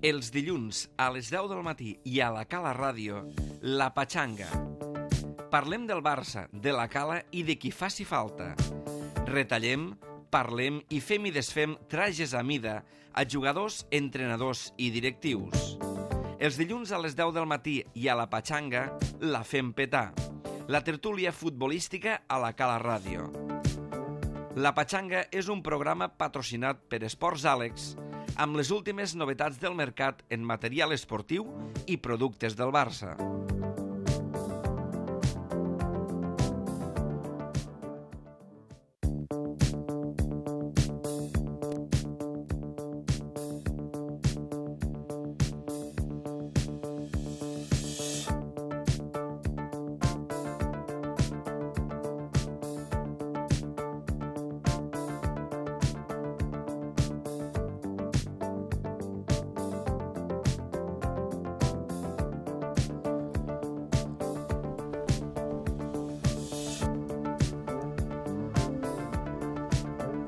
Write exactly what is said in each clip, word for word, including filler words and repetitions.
Els dilluns a les deu del matí i a la Cala Ràdio, La Patxanga. Parlem del Barça, de la Cala i de qui faci falta. Retallem, parlem i fem i desfem trajes a mida a jugadors, entrenadors i directius. Els dilluns a les deu del matí i a La Patxanga la fem petar. La tertúlia futbolística a la Cala Ràdio. La Patxanga és un programa patrocinat per Esports Àlex amb les últimes novetats del mercat en material esportiu i productes del Barça.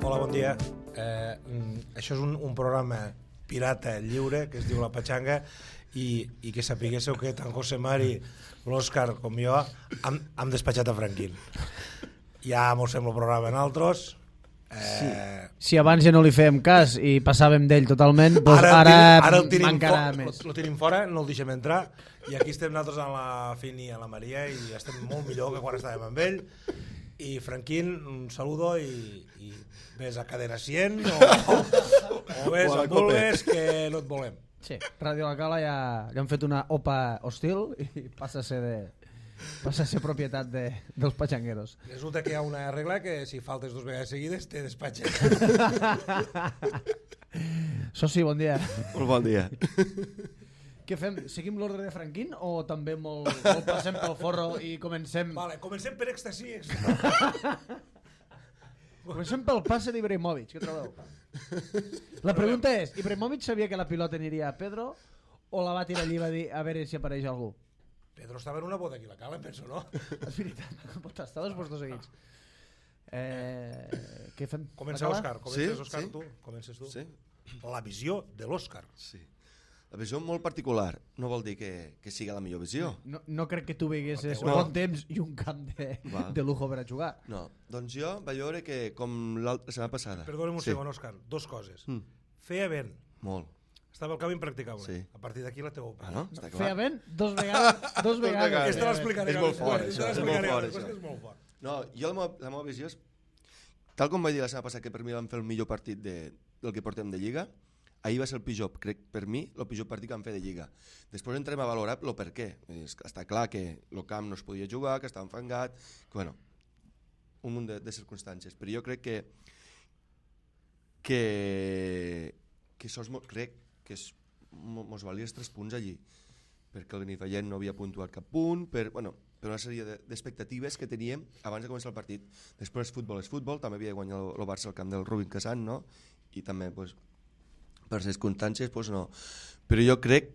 Hola, bon dia. Eh, això és un, un programa pirata lliure que es diu La Patxanga i, i que sapiguéssiu que tant José Mari, l'Òscar com jo hem, hem despatxat a Franquín. Ja mos fem el programa en altres. Eh... Sí. Si abans ja no li fèiem cas i passàvem d'ell totalment, doncs ara, ara, ara, ara el tenim encara fo- més. Lo, lo tenim fora, no el deixem entrar i aquí estem nosaltres amb la Fini i amb la Maria i estem molt millor que quan estàvem amb ell. I Franquín, un saludo i, i ves a cadena cent o, o, o ves a Bulbes que no et volem. Sí, Ràdio La Cala ja, ja han fet una opa hostil i passa a ser, de, passa a ser propietat de, dels patxangueros. Resulta que hi ha una regla que si faltes dues vegades seguides te despatxen. Soci, bon dia. Molt bon dia. Què fem? Seguim l'ordre de Franquín o també molt, molt passem pel forro i comencem... Vale, comencem per èxtasi. Comencem pel passe d'Ibrahimovic, què trobeu? La pregunta és, Ibrahimovic sabia que la pilota aniria a Pedro o la va tirar allí i va dir a veure si apareix algú? Pedro estava en una boda aquí a la Cala, em penso, no? És veritat, no pot estar dos puestos seguits. Eh, què fem? Comença La Cala? l'Òscar, comences Sí, Òscar, sí. tu, comences tu. Sí? La visió de l'Òscar. Sí. La visió molt particular no vol dir que, que sigui la millor visió. No, no crec que tu veiguessis No. bon temps i un camp de, Val. de lujo per a jugar. No, doncs jo vaig veure que com l'altra setmana passada. Perdona'm un Sí. segon, Òscar, dos coses. Mm. Feia vent, Molt. estava el camp impracticable. Sí. A partir d'aquí la teva Ah, no? opinió. Està Feia clar. vent dos vegades. Dos vegades. vegades. Aquesta l'explicaré. És molt fort, després, això, aquesta és molt l'explicaré fort, després, això. que és molt fort. No, jo la meva, la meva visió és... Tal com vaig dir la setmana passada que per mi vam fer el millor partit de, del que portem de Lliga, ahir va ser el pitjor, crec, per mi, el pitjor partit que vam fer de Lliga. Després entrem a valorar el per què. És que està clar que el camp no es podia jugar, que estava enfangat, que, bueno, un munt de, de circumstàncies. Però jo crec que que que això és molt, crec que es, mos valia els tres punts allí, perquè el Benifallet no havia puntuat cap punt, per, bueno, per una sèrie d'expectatives que teníem abans de començar el partit. Després futbol és futbol, també havia guanyat el, el Barça al camp del Rubin Casant, no? I també, pues, per circumstàncies, pues no. Però jo crec,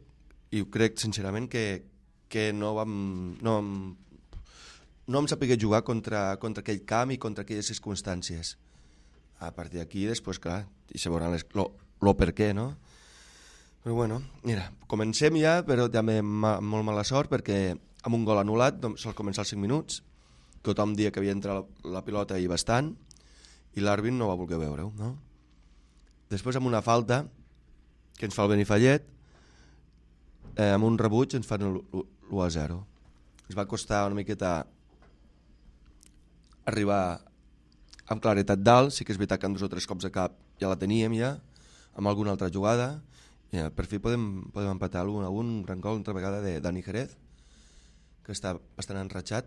i ho crec sincerament, que, que no vam... No vam, no vam saber jugar contra, contra aquell camp i contra aquelles circumstàncies. A partir d'aquí, després, clar, i se veuran les, lo, lo per què, no? Però bueno, mira, comencem ja, però també ma, molt mala sort, perquè amb un gol anul·lat, sol començar els cinc minuts, tothom dia que havia entrat la, la pilota i bastant, i l'àrbit no va voler veure-ho, no? Després amb una falta, que ens fa el Benifallet, eh, amb un rebuig ens fan l'u a zero. Ens va costar una miqueta arribar amb claretat dalt, sí que és veritat que en dos o tres cops de cap ja la teníem ja, amb alguna altra jugada, i ja, per fi podem, podem empatar l'un a un, un gran gol, una vegada de Dani Jerez, que està bastant enratxat,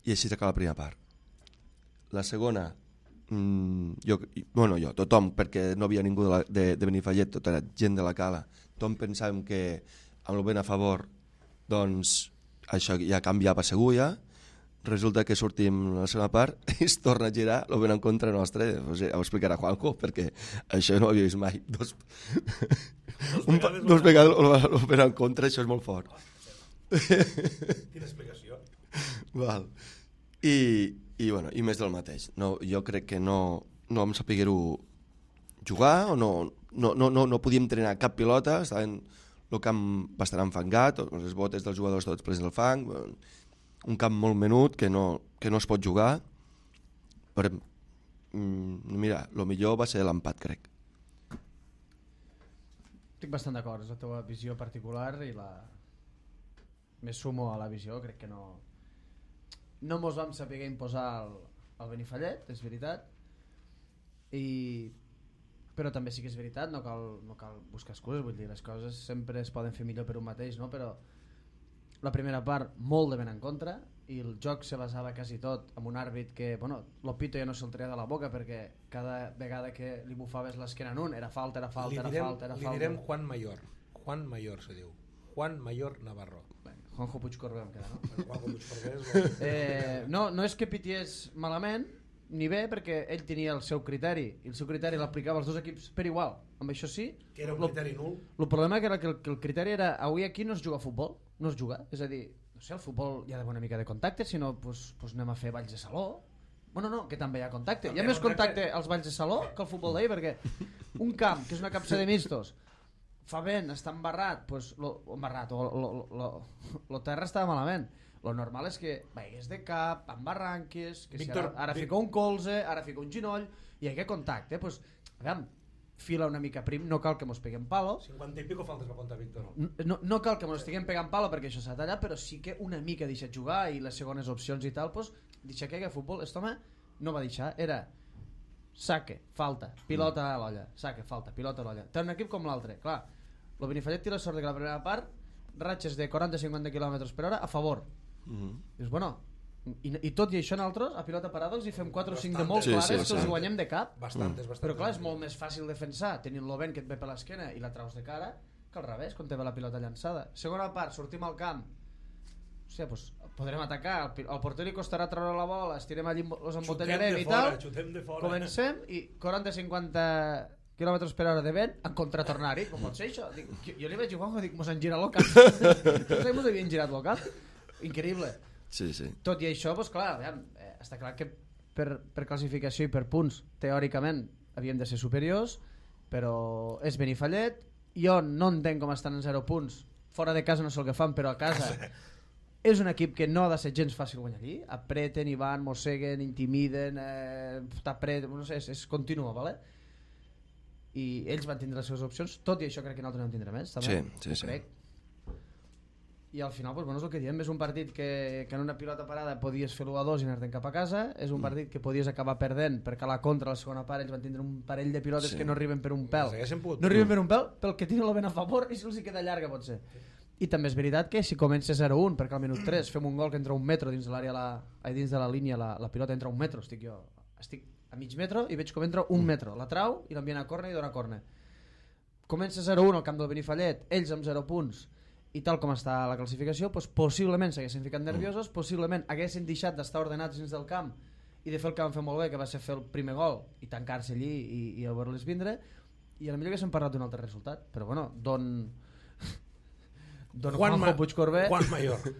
i així s'acaba la primera part. La segona, mmm, jo, bueno, jo, tothom, perquè no havia ningú de, la, de, de Benifallet, tota la gent de la Cala, tothom pensàvem que amb el vent a favor, doncs això ja canviava segur ja. Resulta que sortim a la segona part i es torna a girar, el vent en contra nostre, o sigui, ho explicarà Juanjo, perquè això no ho havia vist mai. Dos, Dos un, vegades, dos vegades el vent en contra, això és molt fort. Quina explicació. Val. I, i, bueno, i més del mateix. No, jo crec que no, no vam saber-ho jugar o no, no, no, no, no podíem entrenar cap pilota, estaven el camp bastant enfangat, les botes dels jugadors tots plens del fang, un camp molt menut que no, que no es pot jugar, però mm, mira, el millor va ser l'empat, crec. Estic bastant d'acord, és la teva visió particular i la... me sumo a la visió, crec que no... No mos vam saber imposar el, el Benifallet, és veritat, i... però també sí que és veritat, no cal, no cal buscar excuses, vull dir, les coses sempre es poden fer millor per un mateix, no? Però la primera part molt de ben en contra i el joc se basava quasi tot amb un àrbit que, bueno, l'Opito ja no se'l treia de la boca perquè cada vegada que li bufaves l'esquena en un era falta, era falta, li era direm, falta, era li falta. direm Juan Mayor, Juan Mayor se diu, Juan Mayor Navarro. Bé, Juanjo Puigcorbé em queda, no? Juanjo Puigcorbé és el... Eh, no, no és que pities malament ni bé perquè ell tenia el seu criteri i el seu criteri l'aplicava als dos equips per igual, amb això sí que era un criteri nul. el problema que era que el, que el criteri era avui aquí no es juga a futbol, no es juga, és a dir, no sé, el futbol hi ha d'haver una mica de contacte, si no pues, pues anem a fer balls de saló. Bueno, no, que també hi ha contacte, també hi ha més contacte als balls de saló que al futbol d'ahir, perquè un camp que és una capsa de mixtos fa vent, està embarrat, pues, lo, embarrat o lo, lo, lo, lo terra estava malament. Lo normal és que veies de cap, amb barranques, que Víctor, si ara, ara fica un colze, ara fica un ginoll, i hi ha contacte. Pues, aviam, fila una mica prim, no cal que mos peguem palo. cinquanta i pico faltes va comptar Víctor. No, no cal que mos estiguem pegant palo perquè això s'ha tallat, però sí que una mica deixa jugar i les segones opcions i tal, pues, deixa que hi hagi futbol. Este home no va deixar, era saque, falta, pilota a l'olla, saque, falta, pilota a l'olla. Té un equip com l'altre, clar. El Benifallet té la sort que la primera part ratxes de quaranta a cinquanta quilòmetres per hora a favor. Mm-hmm. Dius, bueno, i, i tot i això nosaltres a pilota parada els hi fem quatre o cinc de molt sí, clares sí, que sí. els guanyem de cap. Bastantes, bastantes. Però clar, és molt més fàcil defensar tenint-lo vent que et ve per l'esquena i la traus de cara que al revés, quan te ve la pilota llançada. Segona part, sortim al camp, o sigui, pues, podrem atacar, al porter li costarà treure la bola, estirem allí, els embotellarem i tal, comencem i quaranta a cinquanta quilòmetres per hora de vent en contratornar-hi, com pot ser això? Dic, jo, jo li vaig dir, Juanjo, dic, mos han girat el cap. Tots mos havien girat el cap. Increïble. Sí, sí. Tot i això, doncs clar, aviam, eh, està clar que per, per classificació i per punts, teòricament, havíem de ser superiors, però és Benifallet. Jo no entenc com estan en zero punts. Fora de casa no sé el que fan, però a casa és un equip que no ha de ser gens fàcil guanyar allí. Apreten, i van, mosseguen, intimiden, eh, t'apreten, no sé, és, és continua, ¿vale? I ells van tindre les seves opcions, tot i això crec que nosaltres no en tindrem més, també. Sí, sí, sí. Crec. I al final, pues, bueno, és el que diem, és un partit que, que en una pilota parada podies fer l'u a dos i anar-te'n cap a casa, és un mm. partit que podies acabar perdent perquè a la contra, a la segona part, ells van tindre un parell de pilotes sí. que no arriben per un pèl, no arriben per un pèl pel que tenen el vent a favor i si els hi queda llarga pot ser. I també és veritat que si comença zero a un perquè al minut tres fem un gol que entra un metro dins de l'àrea, la, dins de la línia, la, la pilota entra un metro, estic jo estic a mig metro i veig com entra un metro, la trau i l'envien a córner i dona córner. Comença zero a un al camp del Benifallet, ells amb zero punts i tal com està la classificació, doncs possiblement s'haguessin ficat nerviosos, possiblement haguessin deixat d'estar ordenats dins del camp i de fer el que van fer molt bé, que va ser fer el primer gol i tancar-se allí i, i a veure-les vindre, i a la millor haguéssim parlat d'un altre resultat, però bueno, don don Juan Juanjo Puigcorbé Juan Mayor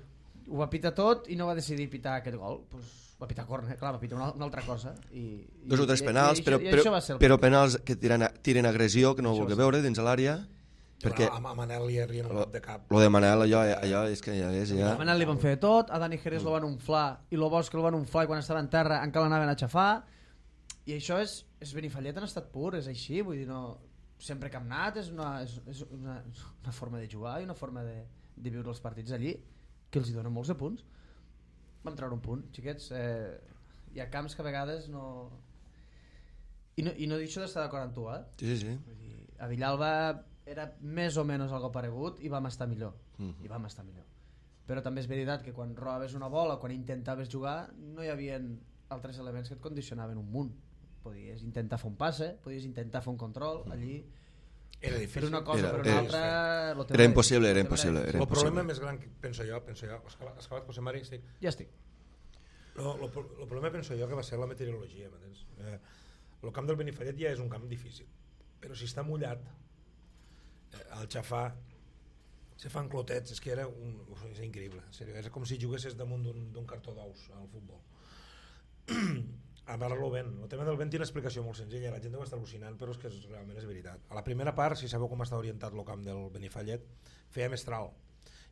ho va pitar tot i no va decidir pitar aquest gol, pues, va pitar córner, clar, va pitar una, una altra cosa i, dos o tres penals, i, i, però, i, i però, però penals que tiren, tiren agressió que no vulgui veure dins de l'àrea. Perquè a, a Manel li arrien el de cap. Lo de Manel, allò, allò és que ja és... Ja... A Manel li van fer tot, a Dani Jerez mm. lo van unflar i lo Bosch el van unflar i quan estava en terra encara l'anaven a xafar i això és, és Benifallet en estat pur, és així, vull dir, no... sempre que hem anat és una, és, és una, una forma de jugar i una forma de, de viure els partits allí que els hi donen molts de punts. Vam treure un punt, xiquets, eh, hi ha camps que a vegades no... I no, i no deixo d'estar d'acord amb tu, eh? Sí, sí, sí. Vull dir, a Villalba era més o menys algo paregut i vam estar millor, mm. i vam estar millor. Però també és veritat que quan robaves una bola, quan intentaves jugar, no hi havia altres elements que et condicionaven un munt. Podies intentar fer un passe, podies intentar fer un control, allí... Era difícil. Per una cosa era, per una era, altra... Era impossible, era impossible. Era el impossible. problema més gran, que penso jo, penso jo, has acabat, José Mari? Estic... Ja estic. El problema penso jo que va ser la meteorologia. El eh, camp del Benifallet ja és un camp difícil, però si està mullat, eh, al xafar, se fan clotets, és que era un, és increïble, en sèrio, és com si juguessis damunt d'un cartó d'ous al futbol. a parlar-lo ben. El tema del vent té una explicació molt senzilla, la gent deu estar al·lucinant, però és que és, realment és veritat. A la primera part, si sabeu com està orientat el camp del Benifallet, feia mestral,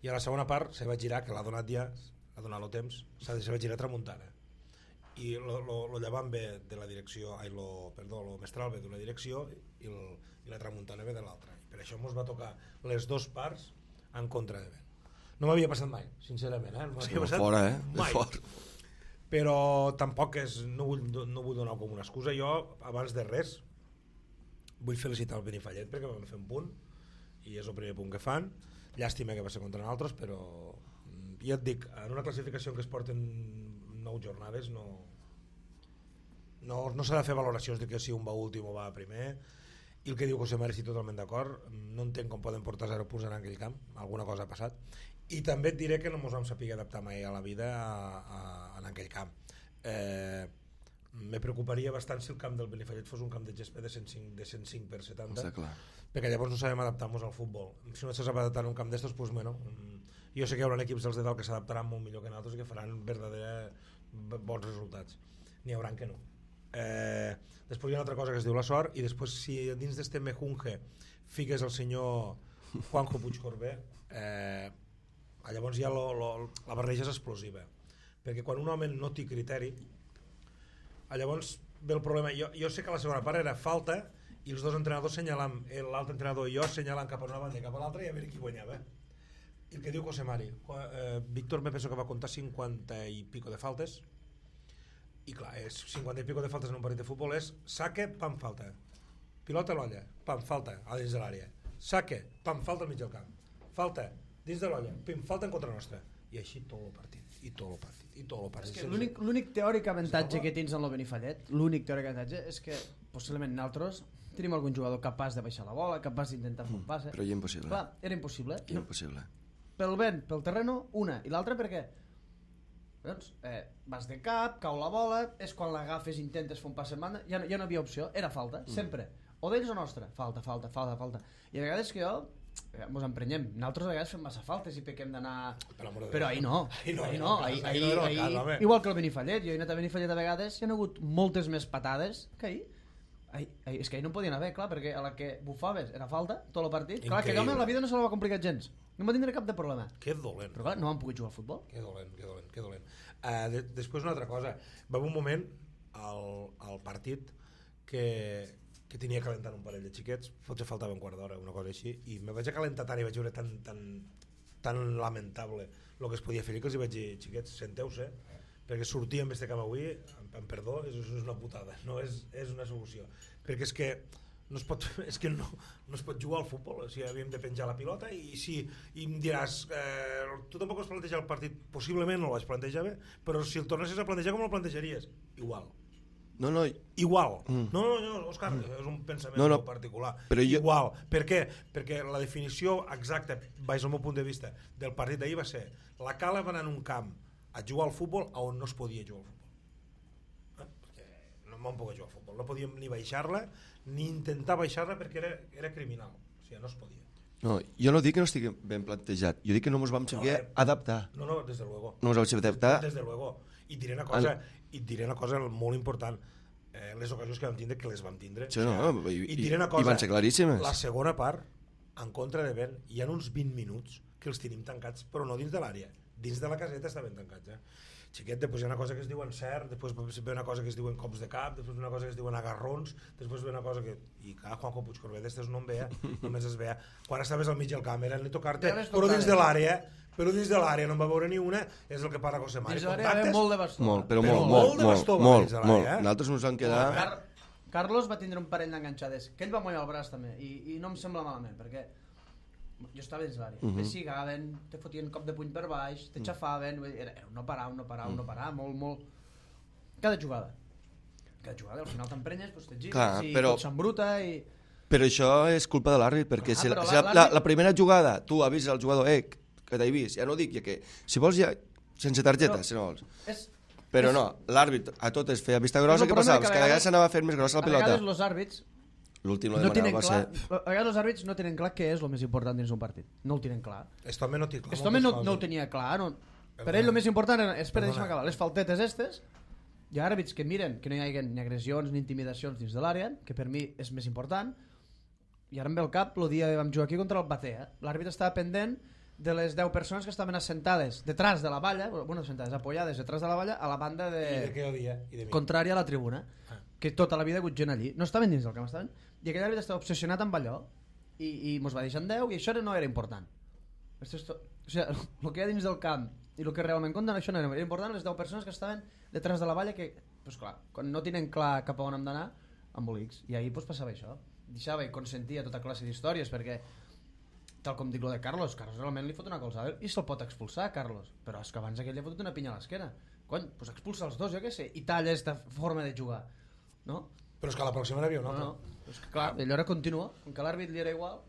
i a la segona part se va girar, que l'ha donat ja, ha donat el temps, s'ha de se va girar tramuntana, i el llevant ve de la direcció, ai, lo, perdó, el mestral ve d'una direcció i, el, i la tramuntana ve de l'altra, i per això ens va tocar les dues parts en contra de vent. No m'havia passat mai, sincerament, eh? No m'havia passat fora, eh? mai. Fora. Però tampoc és, no vull, no vull donar com una excusa. Jo, abans de res, vull felicitar el Benifallet perquè van fer un punt i és el primer punt que fan. Llàstima que va ser contra nosaltres, però ja et dic, en una classificació en què es porten nou jornades no, no, no s'ha de fer valoracions de que si un va últim o va primer, i el que diu José Mari estic totalment d'acord. No entenc com poden portar zero punts en aquell camp, alguna cosa ha passat. I també et diré que no ens vam saber adaptar mai a la vida a, a, en aquell camp. Eh, me preocuparia bastant si el camp del Benifallet fos un camp de gespa de cent cinc, de cent cinc per setanta, perquè llavors no sabem adaptar-nos al futbol. Si no se sap adaptar a un camp d'estos, pues, bueno, jo sé que hi haurà equips dels de dalt que s'adaptaran molt millor que nosaltres i que faran verdadera bons resultats. N'hi haurà que no. Eh, després hi ha una altra cosa que es diu la sort, i després si dins d'este mejunge fiques el senyor Juanjo Puigcorbé, eh, llavors ja lo, lo, la barreja és explosiva, perquè quan un home no té criteri, llavors ve el problema. Jo, jo sé que la segona part era falta i els dos entrenadors senyalant, l'altre entrenador i jo senyalant cap a una banda i cap a l'altra i a veure qui guanyava. I el que diu José Mari, eh, Víctor me penso que va comptar cinquanta i pico de faltes, i clar, és cinquanta i pico de faltes en un partit de futbol és saque, pam, falta, pilota a l'olla, pam, falta a dins de l'àrea, saque, pam, falta al mig del camp, falta dins de l'olla, pim, falta en contra nostra, i així tot el partit, i tot el partit, i tot el partit. És que l'únic, l'únic teòric avantatge que tens en el Benifallet, l'únic teòric avantatge és que possiblement nosaltres tenim algun jugador capaç de baixar la bola, capaç d'intentar fer un passe. Però ja impossible. Clar, era impossible. No, impossible. Pel vent, pel terreno, una, i l'altra per què? Doncs, eh, vas de cap, cau la bola, és quan l'agafes, intentes fer un passe en banda, ja no, ja no havia opció, era falta, mm. sempre. O d'ells o nostra, falta, falta, falta, falta. I a vegades que jo ens emprenyem, nosaltres a vegades fem massa faltes i pequem d'anar, però ahir no, ahir no, ahir no, ahir, ahir, ahir, ahir, igual que el Benifallet. Jo he anat a Benifallet a vegades i hi ha hagut moltes més patades que ahir. Ahir, ahir, és que ahir no podien haver, clar, perquè a la que bufaves era falta tot el partit. Clar, que home, la vida no se la va complicar gens, no va tindre cap de problema. Que dolent. Però clar, no han pogut jugar al futbol. Que dolent, que dolent, que dolent. Uh, de, després una altra cosa, va haver un moment al, al partit que que tenia calentant un parell de xiquets, potser faltava un quart d'hora, una cosa així, i me vaig a calentar tant i vaig veure tan, tan, tan lamentable el que es podia fer, que els hi vaig dir, xiquets, senteu-se, perquè sortir amb este camp avui, amb perdó, és, és una putada, no és, és una solució, perquè és que no es pot, és que no, no es pot jugar al futbol, o sigui, havíem de penjar la pilota i si i em diràs, eh, tu tampoc has plantejat el partit, possiblement no el vaig plantejar bé, però si el tornessis a plantejar com el plantejaries? Igual. No, no. Igual. Mm. No, no, no, Òscar, mm. és un pensament no, no. particular. Però jo... Igual. Per què? Perquè la definició exacta, baix al meu punt de vista, del partit d'ahir va ser la Cala va anar en un camp a jugar al futbol on no es podia jugar al futbol. Eh? Perquè no vam poder jugar al futbol. No podíem ni baixar-la, ni intentar baixar-la perquè era, era criminal. O sigui, no es podia. No, jo no dic que no estigui ben plantejat, jo dic que no ens vam saber no, eh, adaptar. No, no, des de luego. No ens vam saber adaptar. Des de luego. I diré una cosa, i diré una cosa molt important. Eh, les ocasions que vam tindre, que les vam tindre. Sí, no, o sigui, i, i diré una cosa, i van ser claríssimes. La segona part, en contra de vent, hi ha uns vint minuts que els tenim tancats, però no dins de l'àrea. Dins de la caseta estaven tancats. Eh? Xiquet, després hi ha una cosa que es diuen cert, després ve una cosa que es diuen cops de cap, després ve una cosa que es diuen agarrons, després ve una cosa que... I clar, Juanjo Puigcorbé d'estes no en veia, només es veia. Quan estaves al mig del camp era ni tocar-te, però dins de l'àrea, però dins de l'àrea no en va veure ni una, és el que parla José Mari. Dins de l'àrea hi molt de bastó. Molt, però, però molt, molt, molt de bastó. Molt, molt, molt. Nosaltres ens vam quedar... Car Carlos va tindre un parell d'enganxades, que ell va mollar el braç també, i, i no em sembla malament, perquè jo estava dins l'àrea, uh -huh. t'essigaven, te fotien cop de puny per baix, t'aixafaven, era, era un no parar, un no parar, un no parar, molt, molt... Cada jugada. Cada jugada, al final t'emprenyes, doncs t'exigis Clar, i però... tot s'embruta i... Però això és culpa de l'àrbit, perquè Clar, si, la, la, si la, la, la primera jugada tu avises al jugador, eh, que t'he vist, ja no dic ja que... Si vols ja, sense targeta, però, si no vols. És, però és, no, l'àrbit a totes feia vista grossa, què passava? Que cada vegada s'anava fent més grossa la pilota. A vegades els àrbits L'últim no tenen va clar, ser... A vegades els àrbits no tenen clar què és el més important dins un partit. No ho tenen clar. Este home no, té clar este home no, no ho tenia clar. No. Per ell el més important és, per deixar acabar, les faltetes estes hi ha àrbits que miren que no hi hagi ni agressions ni intimidacions dins de l'àrea, que per mi és més important, i ara em ve al cap el dia que vam jugar aquí contra el Batea. L'àrbit estava pendent de les deu persones que estaven assentades detrás de la valla, bueno, assentades, apoyades detrás de la valla, a la banda de... I de què odia? I de mi. Contrària a la tribuna, Ah. que tota la vida ha hagut gent allí. No estaven dins del camp, estaven... I aquell àrbit estava obsessionat amb allò, i, i mos va deixar en deu, i això no era important. Esto es to... O sigui, el que hi ha dins del camp i el que realment compten, això no era, era important les deu persones que estaven detrás de la valla, que, pues clar, quan no tenen clar cap a on hem d'anar, embolics. I ahir pues, passava això. Deixava i consentia tota classe d'històries, perquè tal com dic lo de Carlos, Carlos realment li fot una colzada i se'l pot expulsar, Carlos, però és que abans aquell li ha fotut una pinya a l'esquena. Cony, doncs expulsa els dos, jo què sé, i talla aquesta forma de jugar, no? Però és que a la pròxima n'hi havia un No, altre. no, és que clar, allò era continua, com que l'àrbit li era igual.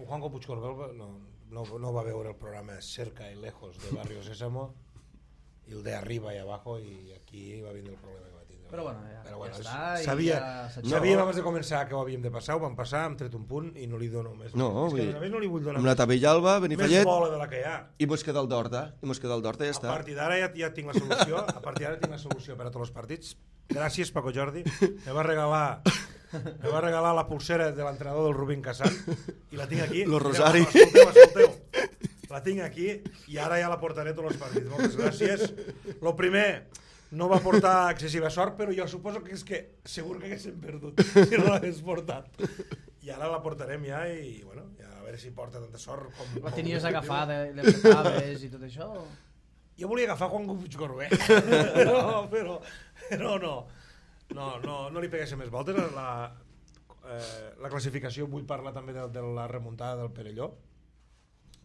Juanjo Puigcorbel no, no, no va veure el programa Cerca y Lejos de Barrio Sésamo i el de Arriba y Abajo, i aquí va vindre el problema que va tindre. Però bueno, ja, Però bueno, ja és- està. i sabia, ja s'ha sabíem No. abans de començar que ho havíem de passar, ho vam passar, hem tret un punt i no li dono més. No, és vull que dir, a més no li vull donar amb la Tavellalba, més Benifallet, bola de la que hi ha. i mos queda el d'Horta, i mos queda el d'Horta i ja A està. partir d'ara ja, ja tinc la solució, a partir d'ara tinc la solució per a tots els partits. Gràcies, Paco Jordi. Me va regalar me va regalar la pulsera de l'entrenador del Rubín Cassan i la tinc aquí. Lo Mira, Rosari. Escolteu, escolteu. La tinc aquí i ara ja la portaré a tots els partits. Moltes gràcies. Lo primer, no va portar excessiva sort, però jo suposo que és que segur que haguéssim perdut si no l'hagués portat. I ara la portarem ja i, bueno, ja a veure si porta tanta sort com... La com- tenies agafada, l'empretaves i tot això? Jo volia agafar Juan Puigcorbé, no, però, però no, no, no, no li peguéssim més voltes. La, eh, la classificació, vull parlar també de, de la remuntada del Perelló,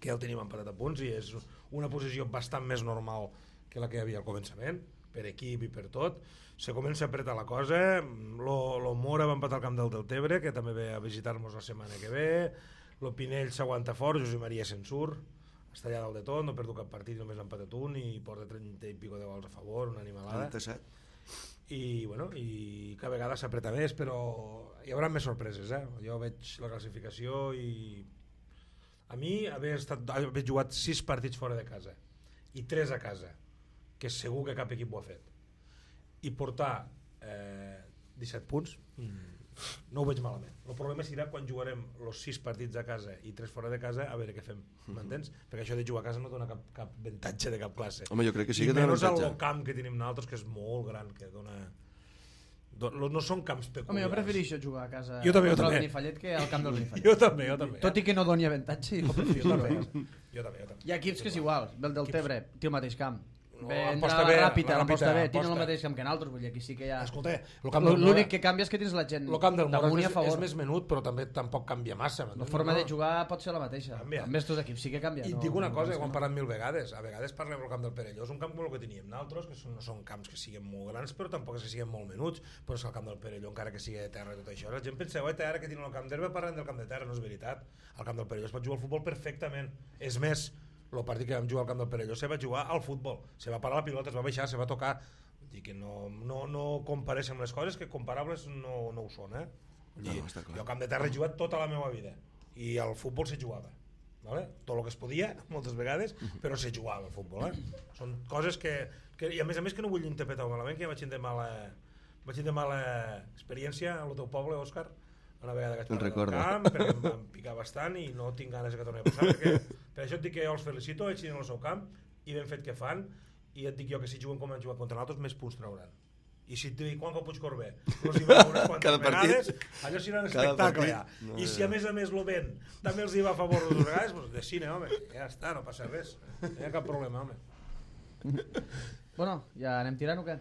que ja el tenim empatat a punts i és una posició bastant més normal que la que hi havia al començament, per equip i per tot. Se comença a apretar la cosa, lo, lo Mora va empatar al camp del Deltebre, que també ve a visitar-nos la setmana que ve, lo Pinell s'aguanta fort, Josep Maria se'n surt, està allà dalt de tot, no ha perdut cap partit, només ha empatat un i porta trenta i pico de gols a favor, una animalada. trenta-set. I, bueno, i cada vegada s'apreta més, però hi haurà més sorpreses, eh? Jo veig la classificació i a mi haver, estat, haver jugat sis partits fora de casa i tres a casa, que segur que cap equip ho ha fet, i portar eh, disset punts, mm, no ho veig malament. El problema serà quan jugarem els sis partits a casa i tres fora de casa, a veure què fem, m'entens? Perquè això de jugar a casa no dona cap, cap avantatge de cap classe. Home, jo crec que sí I que té menys el avantatge. camp que tenim nosaltres, que és molt gran, que dona... do- No són camps peculiars. Home, jo prefereixo jugar a casa Jo també, jo contra el també. Benifallet que al camp del Benifallet. Jo també, jo també. Tot i que no doni avantatge, jo prefereixo Jo jugar també, a casa. jo també, jo també. Hi ha equips que és igual, el del Tebre té el mateix camp. No, Ve, aposta entra bé, la la Ràpita, l'aposta Ràpita, bé, tenen el aposta. mateix camp que nosaltres, vull dir, aquí sí que hi ha... Escolta, el camp del Mora, L'únic que canvia és que tens la gent el camp del Mora damunt i a és, favor. és més menut, però també tampoc canvia massa. La m'entens? forma No? de jugar pot ser la mateixa. Canvia. Amb estos equips sí que canvia. I et no, dic una no, cosa, no, que ho hem no. parlat mil vegades, a vegades parlem del camp del Perelló, és un camp com el que teníem nosaltres, que són, no són camps que siguin molt grans, però tampoc és que siguin molt menuts, però és que el camp del Perelló, encara que sigui de terra i tot això, la gent penseu, eh, ara que tenen el camp d'herba parlen del camp de terra, no és veritat. Al camp del Perelló es pot jugar al futbol perfectament. És més, el partit que vam jugar al camp del Perelló se va jugar al futbol, se va parar la pilota, es va baixar, se va tocar. Vull dir que no, no, no compareixen les coses, que comparables no, no ho són, eh? Vull dir, No, està clar. jo al camp de terra he jugat tota la meva vida i al futbol se jugava, vale? Tot el que es podia, moltes vegades, però se jugava al futbol, eh? Són coses que, que... I a més a més que no vull interpretar malament, que ja vaig tindre mala, vaig tindre mala experiència al teu poble, Òscar, una vegada que vaig Te'n parar del recordo. camp, perquè em van picar bastant i no tinc ganes que torni a passar, perquè per això et dic que jo els felicito, ells tenen el seu camp i ben fet que fan, i et dic jo que si juguen com han jugat contra nosaltres, més punts trauran. I si et dic Juanjo Puigcorbé, els hi veurà unes quantes Cada partit. vegades, allò serà un Cada espectacle partit. ja. No, I si ja. a més a més lo ven, també els hi va a favor dues vegades, doncs de cine, home, ja està, no passa res, no hi ha cap problema, home. Bueno, ja anem tirant o què?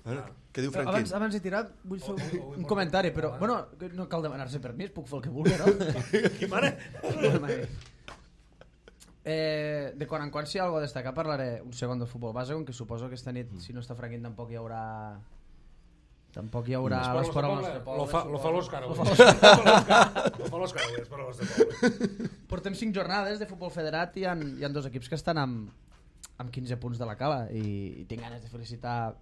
Bueno, què diu Però Franquín? abans, abans de tirar vull fer Oh, oh, oh, un, un oh, comentari, oh, però oh, bueno, que no cal demanar-se permís, puc fer el que vulgui, no? Qui mare? eh, de quan en quan si hi ha alguna a destacar parlaré un segon del futbol base, com que suposo que esta nit, si no està Franquín, tampoc hi haurà tampoc hi haurà l'esport al nostre poble. Lo fa, lo fa l'Òscar Lo avui. fa Lo fa l'Òscar avui, l'esport al nostre poble. Portem cinc jornades de futbol federat i hi ha, hi ha dos equips que estan amb, amb quinze punts de la cala i, i tinc ganes de felicitar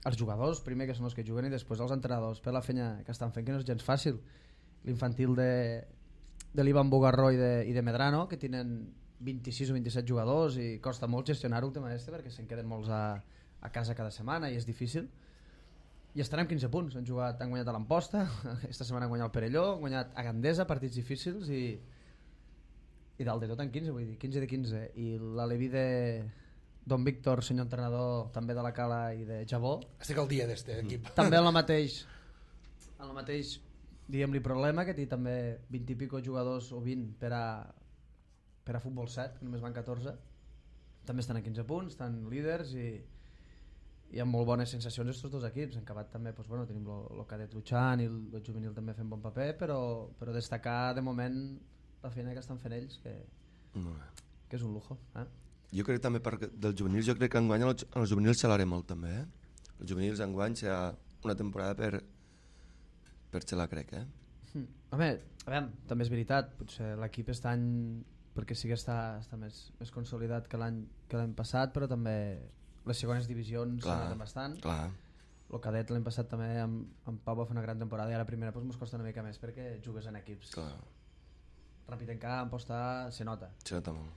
els jugadors, primer que són els que juguen i després els entrenadors per la feina que estan fent, que no és gens fàcil. L'infantil de, de l'Ivan Bogarró i de, i de Medrano, que tenen vint-i-sis o vint-i-set jugadors i costa molt gestionar-ho el tema este perquè se'n queden molts a, a casa cada setmana i és difícil. i estan amb quinze punts. Han jugat, han guanyat a l'Amposta, aquesta setmana han guanyat el Perelló, han guanyat a Gandesa, partits difícils, i i dalt de tot en quinze, vull dir, quinze de quinze. I l'Aleví de Don Víctor, senyor entrenador, també de la Cala i de Jabó. Estic al dia d'este equip. També en la mateix, en la mateix, diguem-li, problema, que té també vint i pico jugadors o vint per a, per a futbol set, que només van catorze. També estan a quinze punts, estan líders i, i amb molt bones sensacions estos dos equips. En acabat també, doncs, bueno, tenim el cadet luchant i el juvenil també fent bon paper, però, però destacar de moment la feina que estan fent ells, que, que és un lujo. Eh? Jo crec també per, dels juvenils, jo crec que enguany els, els juvenils xalaré molt també. Eh? Els juvenils enguany serà una temporada per, per xalar, crec. Eh? Hmm. Home, a veure, també és veritat, potser l'equip està any, perquè sí que està, està més, més consolidat que l'any que l'any passat, però també les segones divisions s'han bastant. Clar. El cadet l'any passat també amb, amb Pau va fer una gran temporada i a la primera doncs, mos costa una mica més perquè jugues en equips. Clar. Ràpid en camp, posta, se nota. Se nota molt.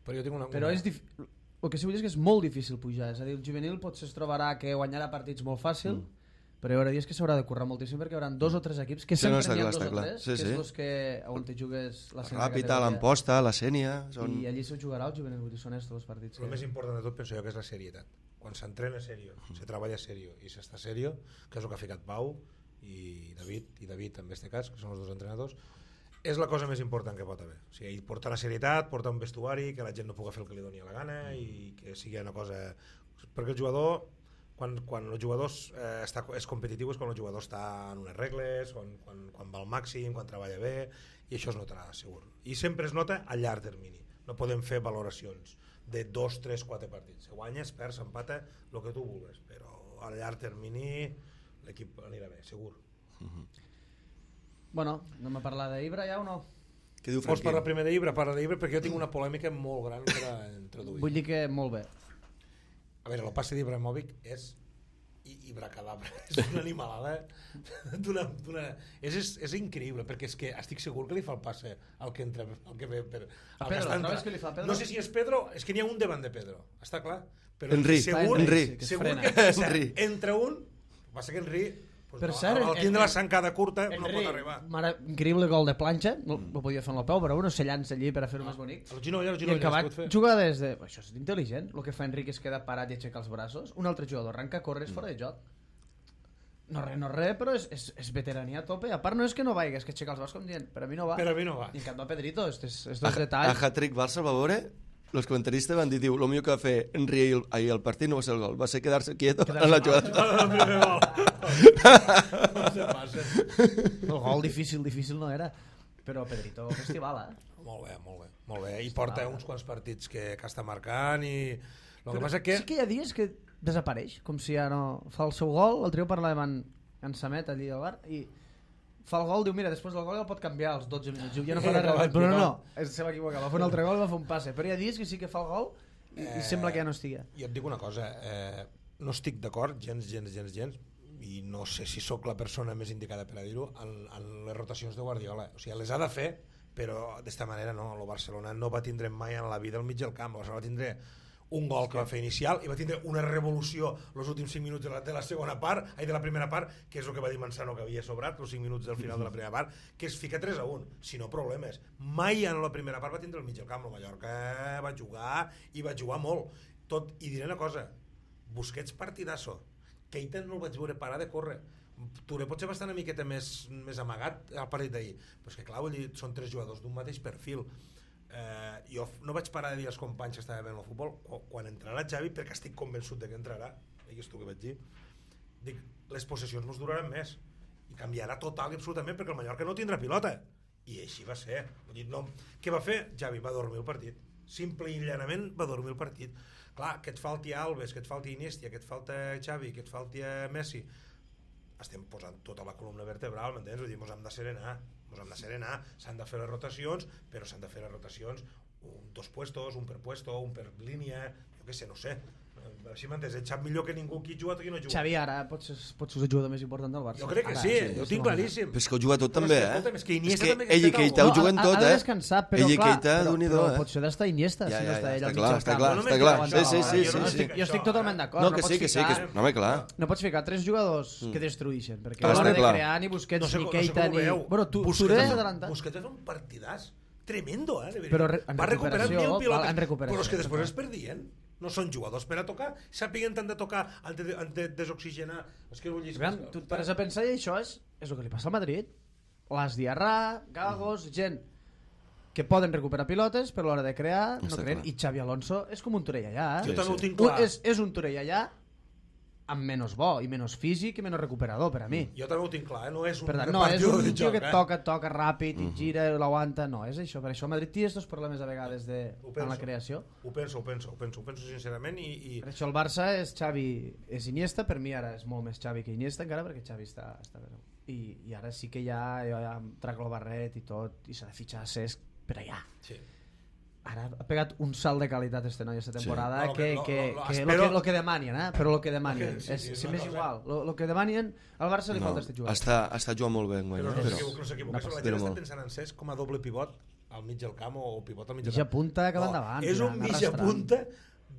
Però, jo tinc una, Però una... és dif... el que sí vull dir és que és molt difícil pujar. És a dir, el juvenil potser es trobarà que guanyarà partits molt fàcil, mm. però hi haurà dies que s'haurà de currar moltíssim perquè hi haurà dos o tres equips que sí, sempre no, n'hi ha clar, dos o clar. tres, sí, que sí. és els que on te jugues la la Ràpita, l'Amposta, la Sènia... Són... I allí s'ho jugarà el juvenil, vull dir, són estos els partits. El que... més important de tot penso jo que és la serietat. Quan s'entrena serio, mm. se treballa serio i s'està serio, que és el que ha ficat Pau i David, i David en este cas, que són els dos entrenadors, és la cosa més important que pot haver. O sigui, portar la serietat, portar un vestuari, que la gent no pugui fer el que li doni a la gana i que sigui una cosa... Perquè el jugador, quan, quan el jugador eh, està, és competitiu és quan el jugador està en unes regles, quan, quan, quan va al màxim, quan treballa bé, i això es notarà, segur. I sempre es nota a llarg termini. No podem fer valoracions de dos, tres, quatre partits. Se guanya, es perd, s'empata, el que tu vulguis, però a llarg termini l'equip anirà bé, segur. Uh-huh. Bueno, anem a parlar d'Ibra ja o no? Què diu Vols Franquín? parlar primer d'Ibra? Parla d'Ibra perquè jo tinc una polèmica molt gran per a introduir. Vull dir que molt bé. A veure, el passe d'Ibrahimovic és Ibra-cadabra, és una animalada d'una, d'una... És, és, és increïble, perquè és que estic segur que li fa el passe al que entra, al que ve per... A Pedro, trobes que li fa a Pedro? No sé si és Pedro, és que n'hi ha un davant de Pedro, està clar? Però Henry, segur, Henry. Que es segur frena. que Henry. entra un, passa que Henry... Pues Per no, cert, al tindre Henry- la zancada curta no Henry, pot arribar. mare, increïble gol de planxa, no, no podia fer amb el peu, però bueno, se llança allí per a fer-ho més bonic. El ginoll, el I ginoll, acabat es pot fer. juga des de... Això és intel·ligent, el que fa Enrique es queda parat i aixeca els braços. Un altre jugador arranca, corre, és fora de joc. No res, no res, però és, és, és veterania a tope. A part no és que no vagi, és que aixeca els braços com dient, per a mi no va. Per a mi no va. I en canvi a Pedrito, estos, A, estos a detalls... hat-trick Barça, Valvore, los comentaristes van dir, diu, lo millor que va fer Henry ahir, ahir al partit no va ser el gol, va ser quedar-se quieto en la jugada. El primer gol. No se passa. El gol difícil, difícil no era. Però Pedrito, festival, eh? Molt bé, molt bé, molt bé. I porta uns quants partits que, que està marcant i... El que Però passa que... sí que hi ha dies que desapareix, com si ja no... Fa el seu gol, l'altre dia parlàvem en, en Samet allí al bar, i fa el gol, diu, mira, després del gol ja el pot canviar als dotze minuts, diu, ja no farà res, però no, no, es se va equivocar, va fer un altre gol i va fer un passe, però hi ha dies que sí que fa el gol i, eh, i sembla que ja no estigui. Jo et dic una cosa, eh, no estic d'acord, gens, gens, gens, gens, i no sé si sóc la persona més indicada per a dir-ho, en, en les rotacions de Guardiola. O sigui, les ha de fer, però d'esta manera no. El Barcelona no va tindre mai en la vida al mig del camp. El Barcelona va tindre un gol que va fer inicial i va tindre una revolució els últims cinc minuts de la, de la segona part, ai, de la primera part, que és el que va dir Manzano que havia sobrat, els cinc minuts del final de la primera part, que es fica tres a un, si no problemes. Mai en la primera part va tindre el mig del camp, el Mallorca va jugar i va jugar molt. Tot, i diré una cosa, Busquets partidasso, Keita no el vaig veure parar de córrer, Touré potser va estar una miqueta més, més amagat al partit d'ahir, però és que clar, vull dir, són tres jugadors d'un mateix perfil. Eh, jo no vaig parar de dir als companys que estava veient el futbol quan entrarà Xavi, perquè estic convençut de que entrarà, digues tu que vaig dir, dic, les possessions ens duraran més i canviarà total i absolutament perquè el Mallorca no tindrà pilota, i així va ser. Vull dir, no, què va fer? Xavi va dormir el partit, simple i llanament va dormir el partit. Clar, que et falti Alves, que et falti Iniesta, que et falta Xavi, que et falti Messi, estem posant tota la columna vertebral, m'entens? Vull dir, mos hem de serenar, mos hem de serenar, s'han de fer les rotacions, però s'han de fer les rotacions un, dos puestos, un per puesto, un per línia, jo què sé, no sé. si m'entens, ell sap millor que ningú qui juga o qui no juga. Xavi ara pot ser, pot ser el jugador més important del Barça. Jo crec que ara, sí, sí, ho tinc claríssim. Però és que ho juga tot Però també, és que, eh? escolta'm, és que Iniesta és que també ell i està Keita ho no, juguen ha, tot, ha de eh? descansar, però ell i clar, Keita, però, Déu-n'hi-do, però eh? potser ha d'estar Iniesta, Ja, si no ja, està ja, ell està al clar, mig està del clar, camp. està clar. No Sí, sí, sí, jo no sí, estic, sí. jo estic totalment d'acord. No, no que pots sí, que sí, que és... ficar- No, home, clar. No pots ficar tres jugadors que destruïxen, perquè Ah, a l'hora està de clar. crear ni Busquets, No sé, ni no sé Keita, com ho ni... veieu. Bueno, tu, Busquets Touré ha fet- adelantat. Busquets va fer un partidàs tremendo, eh? de veritat. Però re- en va recuperar recuperació, mil pilotes, val, en recuperació, però és que després clar. es perdien. No són jugadors per a tocar, sàpiguen tant de tocar, han de, han de desoxigenar. És que vull dir... Aviam, tu et pares a pensar i això és, és el que li passa al Madrid. L'As Diarra, Gagos, gent que poden recuperar pilotes, però a l'hora de crear no Està creen. clar. I Xavi Alonso és com un Torellallà. Jo Sí, també ho sí. tinc clar. És, és un Torellallà amb menys bo i menys físic i menys recuperador per a mi. Jo també ho tinc clar, eh? No és un Per tant, no, és repartidor un de tio joc, que eh? toca, toca ràpid i gira, l'aguanta. No, és això. Per això el Madrid té aquests problemes a vegades de, Ho en la penso. creació. Ho penso, ho penso, ho penso, ho penso sincerament i... i... Per això el Barça és Xavi, és Iniesta, per mi ara és molt més Xavi que Iniesta encara perquè Xavi està, està bé. I, I ara sí que ja, jo ja em trac el barret i tot, i s'ha de fitxar a Cesc per allà. Sí. Ara ha pegat un salt de qualitat este noi esta temporada No, lo que, que- lo- que, lo- lo- que, espero- lo que, lo que demanien, eh? Però lo que demanien. Lo que- sí, és, sí, és si una m'és cosa- igual. Lo, lo que demanien, al Barça li No, falta este jugador. està, està jugant molt bé, enguany, Però eh? no però... s'equivoca, no s'equivoca. no La espero gent està molt. pensant en Cesc com a doble pivot al mig del camp o pivot al mig del Mitja camp. punta que va No, endavant, és un tirant, mitja arrastrant. punta,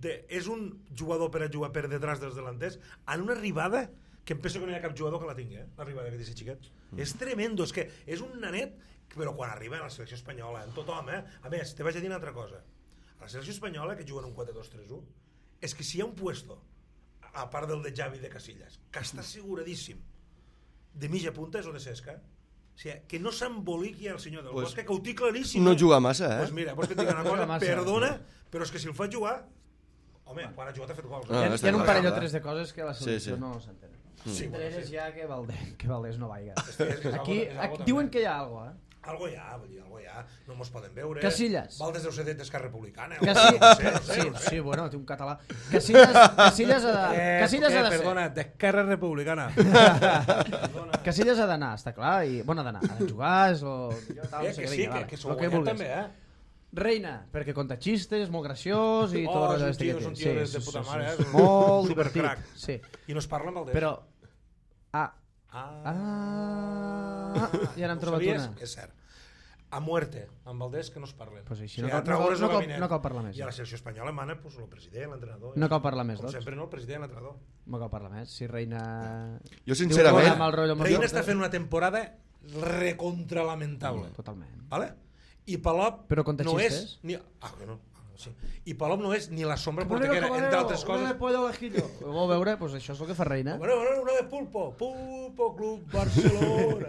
de, és un jugador per a jugar per detrás dels delanters en una arribada que em penso que no hi ha cap jugador que la tingui, eh? L'arribada que té aquest xiquet. Mm. És tremendo, és que és un nanet, però quan arriba a la selecció espanyola, en tothom, eh? A més, te vaig a dir una altra cosa. A la selecció espanyola, que juguen un quatre dos tres u, és que si hi ha un puesto, a part del de Xavi de Casillas, que està asseguradíssim de mitja punta, és el de Cesca. O sigui, que no s'emboliqui el senyor del Pues, Bosque, que ho té claríssim. No eh? juga massa, eh? Pues mira, vols que et digui una Juga cosa? massa. Perdona, però és que si el fa jugar... Home, quan ha jugat ha fet gols. Ah, Hi ha, està hi ha un clar, parell o clar. tres de coses que a la Sí, selecció sí. no s'entenen. Sí, Entre bueno, elles sí. ja que Valdés, que Valdés no vaiga. És que és algo- Aquí, és algo aquí també. diuen que hi ha algo, eh? Algo hi ha, vull dir, algo hi ha. No mos poden veure. Casillas. Valdes deu ser d'Esquerra Republicana. o Casi... no sé, no sé, sí, no sé. sí, bueno, té un català. Casillas, Casillas ha de, Eh, Casillas eh, ha de ser. perdona, d'Esquerra Republicana. Casillas ha d'anar, està clar, i bueno, ha d'anar, ha de jugar, és lo millor, tal, Eh, no sé que què, sí, vinga, que, vale, que lo s'ho que guanyat vulguis. també, eh? Reina, perquè conta xistes, molt graciós i tot Oh, el és un este tio, que és té. un tio de- de puta mare, eh? És un Molt supercrac. divertit, sí. I no es parla amb el Però... Ah, Ah, ah, ja n'hem ho trobat sabies? una. És cert. A muerte, amb Valdés, que no es parlen. Pues així O no sigui, cal- altra no cal- hora és no el cal- gabinet. no cal parlar més, I a ja. la selecció espanyola mana pues, el president, l'entrenador. No cal parlar més, Com doncs. sempre, no? El president, l'entrenador. No cal parlar més. Si Reina... Jo, Diu sincerament... amb el rotllo amb el Reina Barça. està fent una temporada recontralamentable. Totalment. ¿Vale? I Palop Però conta no xistes? és... Ni... Ah, que no. Sí. I Palop no és ni la sombra porteguera, entre altres Una de coses. pollo al ajillo. Ho vol veure? Pues això és el que fa Reina. Bueno, bueno, una de Pulpo. Pulpo Club Barcelona.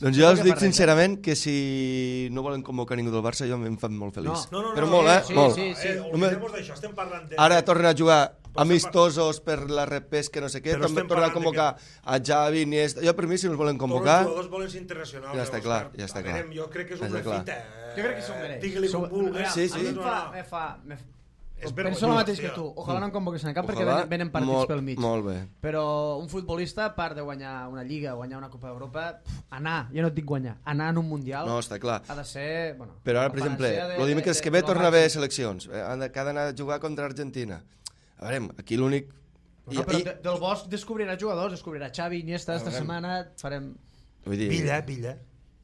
Doncs jo Què els fa dic Reina? sincerament que si no volen convocar ningú del Barça jo em fan molt feliç. No, no, no. Però no, molt, eh? sí, molt. sí, sí. Eh, oblidem-nos d'això, estem parlant de... Ara tornen a jugar Però amistosos per la repesca, no sé què, Però també estem tornen a parlant de convocar a Xavi, Iniesta... Jo per mi si els volen Tots convocar... els jugadors volen ser internacionals. Ja està Òscar. clar, ja està A veure, clar. Jo crec que és Ja una està clar. fita. eh? Jo crec que s'ho mereix. Digue-li com S'ho- vulguis. Sí, sí. A mi em No, fa... no. Me fa me... És Penso el vergonyós, mateix que tio. tu. Ojalà no em convoquessin a cap perquè Ojalà, venen, venen partits molt, pel mig. Molt bé. Però un futbolista, a part de guanyar una Lliga, guanyar una Copa d'Europa, pf, anar, ja no et dic guanyar, anar en un Mundial No, està clar. ha de ser... Bueno, Però ara, la per exemple, panacea de- el dimecres de- que ve de lo torna a haver màxim. seleccions. Eh, Han de, que ha d'anar a jugar contra Argentina. A veure, aquí l'únic... I, No, però i, de, del Bosch descobrirà jugadors, descobrirà Xavi, Iniesta, esta veurem. setmana farem... vull dir, Villa, Villa.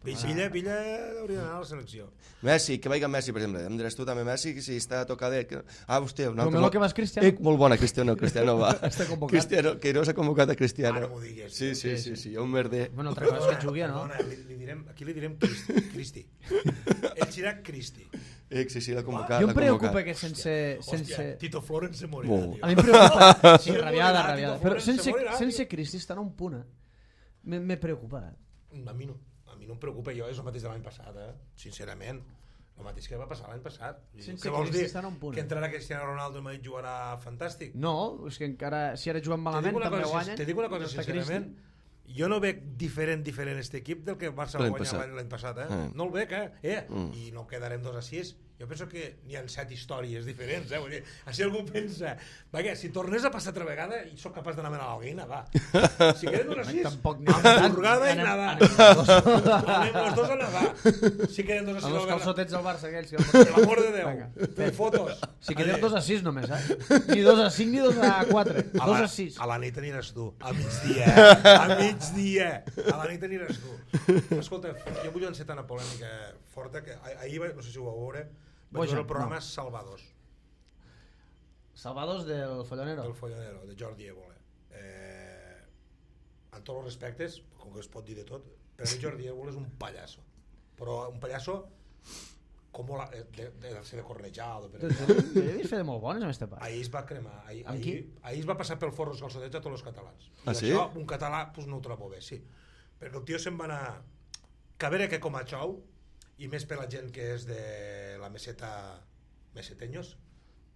Villa, Villa hauria d'anar a la selecció. Messi, que vagi Messi, per exemple. Em diràs tu també Messi, que si està tocadet... Que... Ah, hòstia, un altre... Romelu que vas Cristiano. Eh, molt bona, Cristiano, Cristiano va. Està convocat. Cristiano, que no s'ha convocat a Cristiano. Ara m'ho digues. Sí, sí, sí, sí, un merder. Bueno, altra cosa és que jugui, no? Perdona, li, li direm, aquí li direm Cristi. Cristi. Ell serà Cristi. Eh, sí, sí, l'ha convocat. Jo em l'ha preocupa convocat. que sense... sense... Hòstia, Tito Florent se morirà, Bo. tio. A mi em preocupa... Sí, Se rabiada, morirà, rabiada. Tito Però Florent, se sense, morirà, sense tio. Cristi estar en un punt, eh? Me, me preocupa. A mi no. A mi no em preocupa, jo és el mateix de l'any passat, eh? Sincerament. El mateix que va passar l'any passat. Sense Què vols Cristi dir? estan a un punt, Que eh? entrarà Cristiano Ronaldo i Madrid jugarà fantàstic? No, és que encara... Si ara juguen Te dic malament una també cosa, guanyen. te dic una cosa no està sincerament, jo no veig diferent diferent este equip del que el Barça va L'any guanyar passat. l'any l'any passat, eh? Mm. No el veig, eh? eh? Mm. I no quedarem dos a sis Jo penso que n'hi ha set històries diferents, eh? Vull dir, si algú pensa, vaja, si tornés a passar altra vegada, i sóc capaç d'anar a menar l'alguina, va. Si queden dos a sis, hamburgada i nada. Anem els dos a nedar. Si queden dos a sis... Els calçotets del Barça, aquells. Per l'amor de Déu, fer fotos. Si queden dos a sis només, eh? Ni dos a cinc ni dos a quatre. Dos a sis. A la nit aniràs tu, a migdia, a migdia. A la nit aniràs tu. Escolta, jo vull encetar una polèmica forta, que ahir, no sé si ho vau veure, vaig veure el programa Salvados. Salvados del Follonero. Del Follonero, de Jordi Évole. Eh, en tots els respectes, com que es pot dir de tot, per a mi Jordi Évole és un pallasso. Però un pallasso com la, de, de, de ser de cornejado. Per jo jo he vist fer de molt bones amb este part. Ahir es va cremar. Ahir, Amb ahir, qui? ahir es va passar pel forro els calçotets a tots els catalans. I Ah, sí? això, un català, pues, no ho trobo bé, sí. Perquè el tio se'n va anar... Que a veure que com a xou, i més per la gent que és de la meseta meseteños,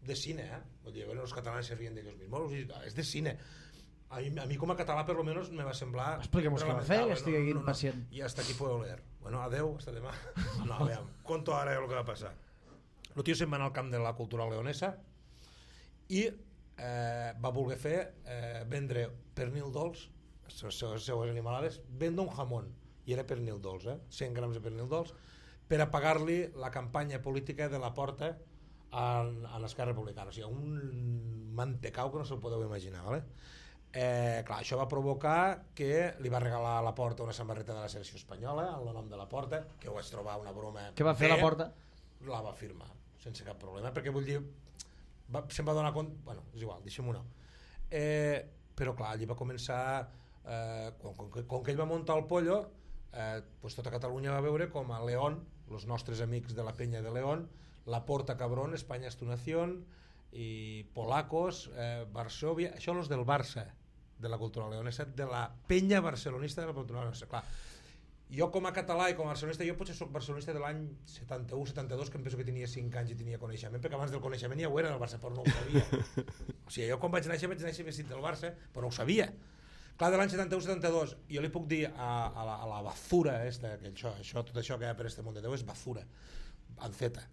de cine, eh? Vull dir, bueno, els catalans se rien d'ells mismos, és de cine. A mi, a mi com a català per lo menos me va semblar... Expliquem-nos què va fer, que estigui aquí no, no, pacient. I hasta aquí podeu leer. Bueno, adeu, hasta demà. No, a veure, conto ara el que va passar. El tio se'n va anar al camp de la cultura leonesa i eh, va voler fer eh, vendre pernil dolç, les seues animalades, vendre un jamón, i era pernil dolç, eh? cent grams de pernil dolç, per a pagar-li la campanya política de la Porta en, en Esquerra Republicana. O sigui, un mantecau que no se'l podeu imaginar, ¿vale? Eh, clar, això va provocar que li va regalar a la Porta una samarreta de la selecció espanyola en el nom de la Porta, que ho vaig trobar una broma. Què va fer bé, la Porta? La va firmar, sense cap problema, perquè vull dir, va, se'n va donar compte, bueno, és igual, deixem-ho no. Eh, però clar, allí va començar, eh, quan, quan, quan que ell va muntar el pollo, eh, pues tota Catalunya va veure com a León, els nostres amics de la penya de León, la Porta Cabrón, España es tu nación, i Polacos, eh, Varsovia, això els del Barça, de la cultura leonesa, de la penya barcelonista de la cultura leonesa. Clar, jo com a català i com a barcelonista, jo potser soc barcelonista de l'any setanta-u setanta-dos, que em penso que tenia cinc anys i tenia coneixement, perquè abans del coneixement ja ho era del Barça, però no ho sabia. O sigui, jo quan vaig néixer, vaig néixer vestit del Barça, però no ho sabia. Clar, de l'any setanta-u setanta-dos, jo li puc dir a, a, la, a la bazura esta, que això, això, tot això que hi ha per este món de Déu és bazura, en Z,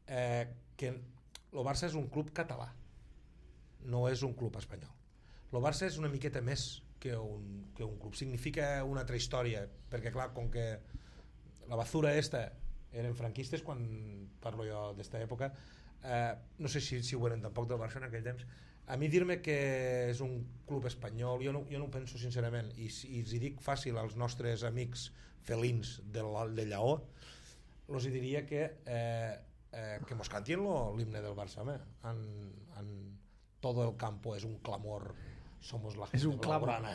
eh, que el Barça és un club català, no és un club espanyol. El Barça és una miqueta més que un, que un club, significa una altra història, perquè clar, com que la bazura esta eren franquistes, quan parlo jo d'esta època, eh, no sé si, si ho eren tampoc del Barça en aquell temps. A mi dir-me que és un club espanyol, jo no, jo no ho penso sincerament, i, i els hi dic fàcil als nostres amics felins de, de Lleó, els hi diria que eh, eh, que mos cantien l'himne del Barça, home, en, en todo el campo és un clamor, somos la gente blaugrana.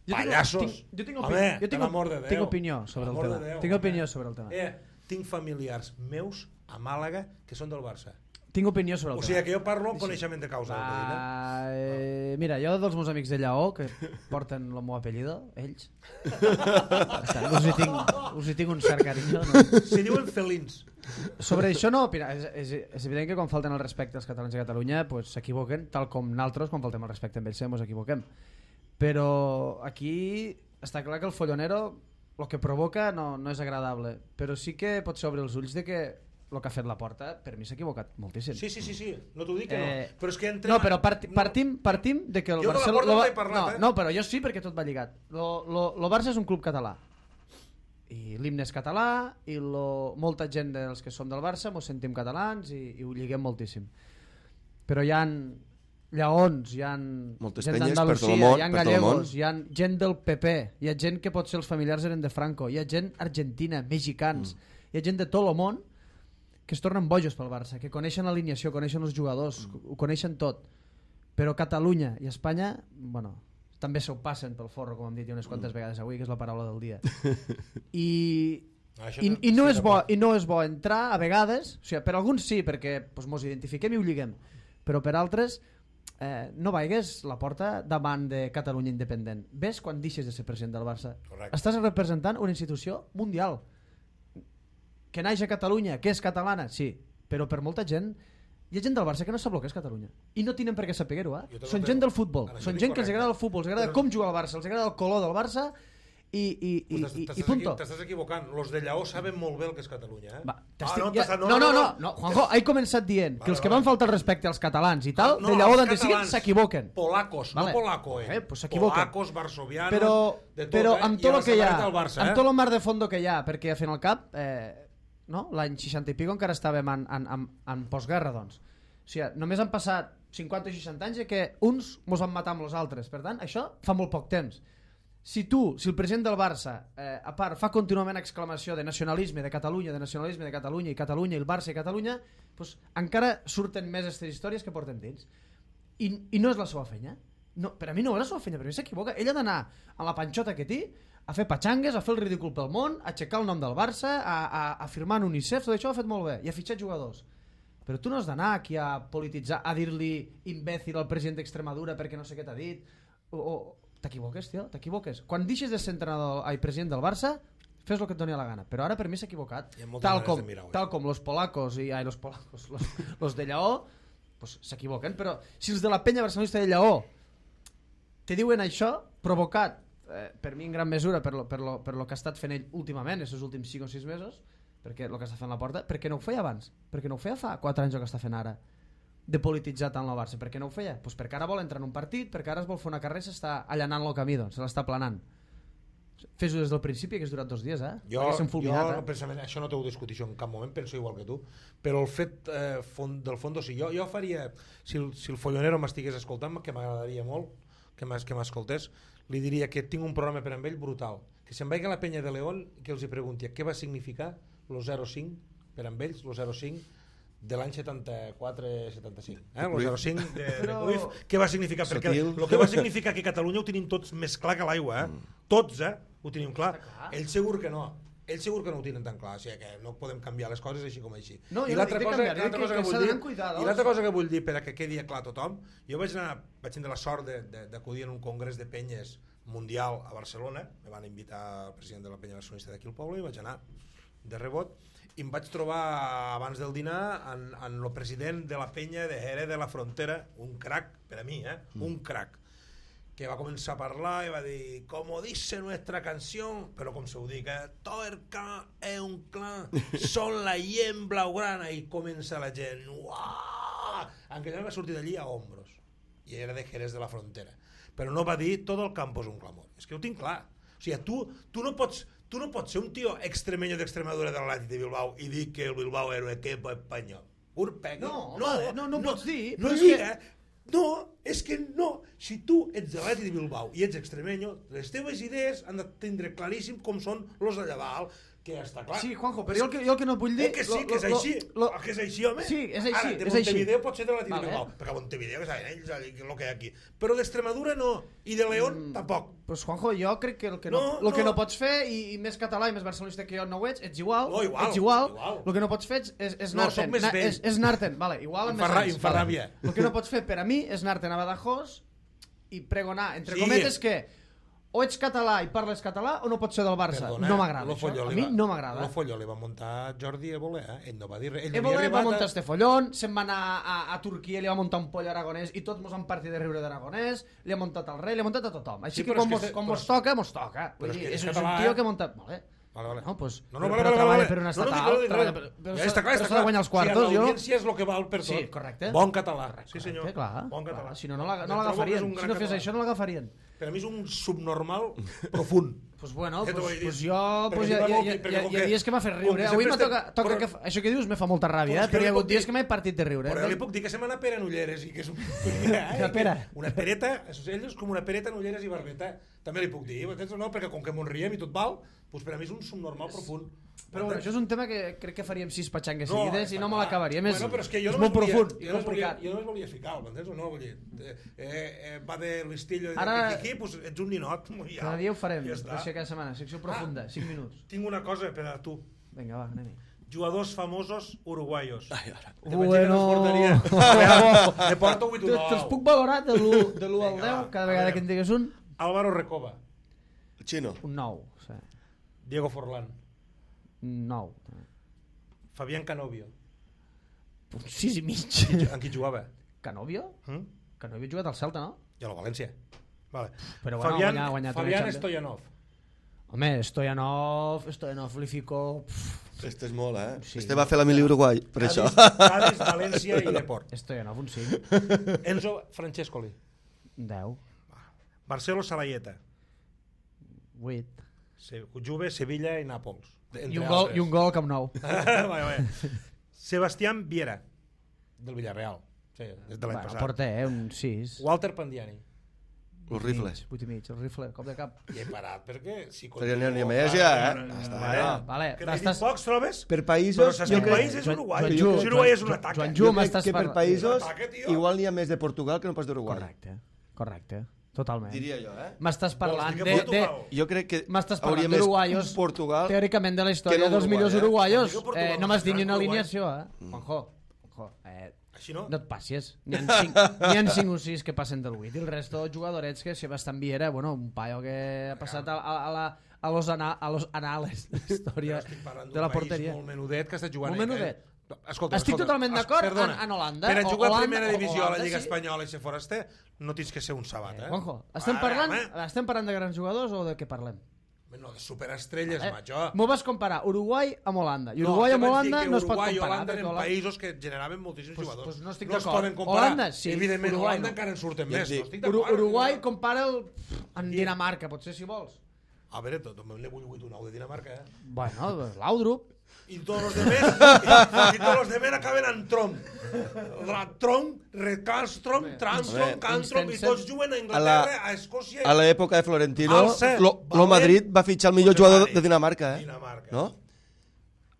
Pallassos! Jo tinc, home, jo tinc, l'amor de Déu, tinc opinió sobre el tema. Déu, tinc opinió sobre el tema. Eh, tinc familiars meus a Màlaga que són del Barça. Tinc opinió sobre el O tema. sigui que jo parlo amb coneixement de causa. Va, eh, mira, jo dels meus amics de Lleó, que porten el meu apellido, ells, bastant, us, hi tinc, us hi tinc un cert carinyo. No? Si diuen felins. Sobre això no, opina, és, és, és evident que quan falten el respecte als catalans de Catalunya s'equivoquen, pues, tal com naltros quan faltem el respecte amb ells ens equivoquem. Però aquí està clar que el follonero el que provoca no, no és agradable, però sí que pot ser obrir els ulls de que el que ha fet la Porta, per mi s'ha equivocat moltíssim. Sí, sí, sí, sí, no t'ho dic que eh, no. Però és que entrem... No, però parti, partim, partim de que el jo Barça... de la Porta lo, no he parlat, no, eh? no, però jo sí, perquè tot va lligat. Lo, lo, lo Barça és un club català. I l'himne és català, i lo, molta gent dels que som del Barça mos sentim catalans i, i ho lliguem moltíssim. Però hi ha lleons, hi ha moltes gent penyes per tot d'Andalusia, el món, hi ha per tot el món. gallegos, hi ha gent del P P, hi ha gent que potser els familiars eren de Franco, hi ha gent argentina, mexicans, mm. hi ha gent de tot el món que es tornen bojos pel Barça, que coneixen l'alineació, coneixen els jugadors, mm. ho coneixen tot. Però Catalunya i Espanya, bueno, també s'ho passen pel forro, com hem dit unes quantes mm. vegades avui, que és la paraula del dia. I, ah, i, i, no és bo, i no és bo entrar a vegades, o sigui, per alguns sí, perquè pues, mos identifiquem i ho lliguem, però per altres eh, no vaigues la Porta davant de Catalunya independent. Ves quan deixes de ser president del Barça. Correcte. Estàs representant una institució mundial que naix a Catalunya, que és catalana, sí, però per molta gent hi ha gent del Barça que no sap el que és Catalunya i no tenen per què saber-ho, eh? Són gent del futbol, són gent que els agrada el futbol, els agrada com juga el Barça, els agrada el color del Barça i, i, i, i, i punto. T'estàs equivocant. Los de Lleó saben molt bé el que és Catalunya. Eh? Va, ah, no, ja... no, no, no, no, no, Juanjo, he començat dient vale, que els que van faltar el respecte als catalans i tal, no, de Lleó d'on siguin, s'equivoquen. Polacos, vale. No polaco, eh? eh pues Polacos, varsovianos, però, de tot, però eh? amb tot el que hi ha, Barça, amb eh? tot el mar de fondo que hi ha, perquè a fin al cap, eh, no? L'any seixanta i pico encara estàvem en, en, en, en postguerra, doncs. O sigui, només han passat cinquanta o seixanta anys que uns mos van matar amb els altres. Per tant, això fa molt poc temps. Si tu, si el president del Barça, eh, a part, fa contínuament exclamació de nacionalisme de Catalunya, de nacionalisme de Catalunya, i Catalunya, i el Barça i Catalunya, doncs encara surten més aquestes històries que porten dins. I, i no és la seva feina. No, per a mi no és la seva feina, per a mi s'equivoca. Ell ha d'anar a la panxota que té, a fer patxangues, a fer el ridícul pel món, a aixecar el nom del Barça, a, a, a firmar en UNICEF, tot això ho ha fet molt bé, i a fitxar jugadors. Però tu no has d'anar aquí a polititzar, a dir-li imbècil al president d'Extremadura perquè no sé què t'ha dit, o... o t'equivoques, tio, t'equivoques. Quan deixes de ser entrenador i president del Barça, fes el que et doni la gana. Però ara per mi s'ha equivocat. Tal com, tal com los polacos i ai, los polacos, los, los de Lleó, pues, s'equivoquen. Però si els de la penya barcelonista de Lleó te diuen això, provocat, eh, per mi en gran mesura, per lo, per, lo, per lo que ha estat fent ell últimament, aquests últims cinc o sis mesos, perquè el que està fent la porta, per què no ho feia abans? Per què no ho feia fa quatre anys el que està fent ara? De polititzar tant el Barça, per què no ho feia? Pues perquè ara vol entrar en un partit, perquè ara es vol fer una carrera i s'està allanant el camí, doncs, se l'està planant. Fes-ho des del principi, que has durat dos dies, eh? Jo, fulminat, jo eh? precisament, això no t'ho discuteixo en cap moment, penso igual que tu, però el fet eh, fond, del fons, si jo, jo faria, si el, si el follonero m'estigués escoltant, que m'agradaria molt que m'escoltés, li diria que tinc un programa per amb ell brutal, que se'n vagi a la penya de León i que els hi pregunti què va significar el zero cinc per amb ells, el zero cinc de l'any setanta-quatre setanta-cinc, eh? el zero cinc de, de Cruyff, què va significar? Perquè el que va significar que Catalunya ho tenim tots més clar que l'aigua, eh? Mm. Tots, eh? Ho tenim clar. Ell segur que no. Ell segur que no ho tenen tan clar, o sigui que no podem canviar les coses així com així. No, I l'altra cosa, canviar, que, cosa que, que vull dir, cuidar, i l'altra cosa que vull dir per a que quedi clar a tothom, jo vaig anar, vaig tenir la sort d'acudir en un congrés de penyes mundial a Barcelona, me van invitar el president de la penya barcelonista d'aquí al poble i vaig anar de rebot, i em vaig trobar abans del dinar en, en el president de la penya de Jerez de la Frontera, un crac per a mi, eh? Mm. un crac, que va començar a parlar i va dir, como dice nuestra canción, però com se ho dic, eh? todo el clan és un clan, son la gent blaugrana, i comença la gent, uah! En què va sortir d'allí a hombros, i era de Jerez de la Frontera, però no va dir, todo el campo és un clamor, és que ho tinc clar, o sigui, tu, tu no pots Tu no pots ser un tio extremeño d'Extremadura de l'Atlètic de Bilbao i dir que el Bilbao era un equip espanyol. Urpegui. No, no, vale, no, no, no pots dir. No, és que... no, és que no. Si tu ets de l'Atlètic de Bilbao i ets extremeño, les teves idees han de tindre claríssim com són los d'allà dalt, que ja està clar. Sí, Juanjo, però jo el que, jo el que no et vull dir... Eh que sí, que és lo, així. Lo, lo, que és així, home. Sí, és així. Ara, de és Montevideo així. pot ser de l'Atlètic vale. de Bilbao, perquè a Montevideo, que saben ells, el que hi ha aquí. Però d'Extremadura no, i de León mm, tampoc. Pues, Juanjo, jo crec que el que no, no, el que no. no pots fer, i, i més català i més barcelonista que jo no ho ets, ets igual, no, igual ets igual, igual. El que no pots fer és, és no, anar-te'n. Na, és, és anar-te'n, vale, igual amb més anys. Em fa ràbia. El que no pots fer per a mi és anar-te'n a Badajoz i pregonar, entre sí. cometes, que o ets català i parles català o no pots ser del Barça. Perdona, no m'agrada això. A mi no m'agrada. Lo folló li va muntar Jordi Évole, eh? Ell no va dir res. Ell Évole va muntar este follón, se'n va anar a, a Turquia, li va muntar un poll aragonès i tots mos han partit de riure d'aragonès, li ha muntat al rei, li ha muntat a tothom. Així sí, que com mos, com mos toca, mos toca. Vull dir, és, és un tio que munta... Vale. Vale, vale. No, pues, no, no, però, vale, però vale, treballa vale. per una estatal, no, no, no, treballa per, però, ja està clar, però s'ha de guanyar els quartos. Sí, l'audiència és el que val per tot. Sí, correcte. Bon català. Sí, senyor. Correcte, clar, bon català. Clar. Si no, no l'agafarien. Si no fes això, no l'agafarien. Per a mi és un subnormal profund. Pues bueno, pues, pues jo pues ja, ja, ja, ja, hi ha dies que m'ha fet riure. Avui me toca, toca que, això que dius me fa molta ràbia, eh? Però hi ha hagut dies que m'he partit de riure. Però li puc dir que se m'ha anat pera en ulleres i que és un... Una pera? Una pereta, ell és com una pereta en ulleres i barbeta. També li puc dir, no? Perquè com que m'ho riem i tot val, doncs per a mi és un subnormal profund. Però bueno, això és un tema que crec que faríem sis patxangues no, seguides i no me l'acabaríem. És, bueno, però és, que jo és no molt profund. Jo no volia, jo només volia ficar, m'entens o no? Vull dir, eh, eh, va de l'estillo de aquí, doncs ets un ninot. Cada dia ho farem, ja d'això cada setmana. Secció profunda, cinc minuts. Tinc una cosa per a tu. Vinga, va, anem-hi. Jugadors famosos uruguaios. Ai, ara. Bueno. Te porto vuit o nou. Te'ls puc valorar de l'u al deu, cada vegada que en digues un? Álvaro Recoba. El xino. Un nou. Sí. Diego Forlán. Un nou. Fabián Canovio. Un sis i mig. En qui jugava? Canovio? Mm? Canovio ha jugat al Celta, no? I a la València. Vale. Però bueno, Fabián, guanyar, guanyar Fabián Stoyanov. Home, Stoyanov, Stoyanov li fico... Este és molt, eh? Sí. Este va fer la mili Uruguai, per això. Cádiz, València i Deport. Stoyanov, un cinc. Enzo Francescoli. deu. Marcelo Salayeta. vuit. Se- Juve, Sevilla i Nàpols. I un gol, i un gol al Camp Nou. vale, vale. Sebastián Viera, del Villarreal. Sí, des de l'any Bueno, passat. porta, eh, un sis. Walter Pandiani. El rifle. vuit i mig, el rifle, cop de cap. I he parat, perquè... Si Perquè n'hi ha- n'hi ha més ja, eh? Està, Vale. no. Vale, Que n'he dit estàs... pocs, trobes? Per Però països, saps jo quin crec, país és Joan- Uruguai? Joan Si Ju- Uruguai és un Joan- atac. Joan eh? Ju- jo m'estàs crec que per parlant- països Ataque, tio. igual n'hi ha més de Portugal que no pas d'Uruguai. Correcte, correcte, totalment. Diria jo, eh? M'estàs parlant dir que de... de... Portugal? Jo crec que M'estàs hauria parlant més d'uruguaios, un Portugal... teòricament de la que història no dels Uruguai, millors eh? uruguaios. Dic que Portugal Eh, no no m'has és dit ni una Uruguai. alineació, eh? Juanjo, Juanjo, eh, Així no? no et passis. N'hi ha cinc, n'hi ha cinc o sis que passen del vuit. I el resto, jugadorets que Sebastián Viera, bueno, un paio que ha passat a, a, a, la, a, los, ana, a los anales de la història Estic parlant de la d'un país porteria. molt menudet que està jugant... Molt menudet. Eh? Escolta, Estic escolta, totalment es- d'acord perdona, en- en Holanda. Per a O- jugar a Holanda- primera o- divisió a la Holanda, Lliga sí. Espanyola i ser foraster, no tens que ser un sabat, eh? Juanjo, estem Vale, parlant, home. estem parlant de grans jugadors o de què parlem? No, de superestrelles, Eh, macho. M'ho vas comparar Uruguai amb Holanda. I Uruguai no, amb Holanda no es pot Uruguai i comparar. Holanda perquè eren Holanda- països que generaven moltíssims Pues- jugadors. pues no estic no es d'acord. poden comparar. Holanda, sí. Evidentment, Uruguai Holanda no. encara en surten Ja et més. dic. No estic Uru d'acord. Uruguai compara el... amb Dinamarca, potser si vols. A veure, tot, l'he vuit un nou de Dinamarca, eh? Bueno, Laudrup. I tots els demés, i, i tots els demés acaben en trom. Trom, Recalstrom, Transtrom, Home, Cantrom, i tots juguen a A Anglaterra, la- a Escòcia... A l'època de Florentino, Alce, lo, lo Valent, Madrid va fitxar el millor jugador Montevani. de Dinamarca, eh? Dinamarca. No?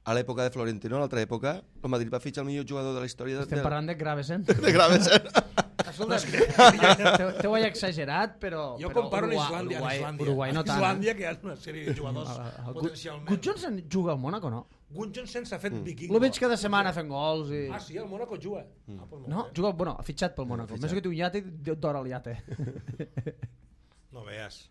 A l'època de Florentino, a l'altra època, el Madrid va fitxar el millor jugador de la història de, Estem de, parlant de Gravesen. de Gravesen. Escolta, te, te ho he exagerat, però... Jo però comparo en Uruguai, Islàndia, en Uruguai, Islàndia. Uruguai no tant. Islàndia, que hi ha una sèrie de jugadors eh? El- potencialment. Gudjonsson juga al Mónaco, no? Gudjonsson s'ha fet viking. Lo veig cada setmana fent gols i... Ah, sí, el Mónaco juga. Ah, pues molt No, bé. juga, bueno, ha fitxat pel Mónaco. Més que té un iate, d'hora al iate. No veas.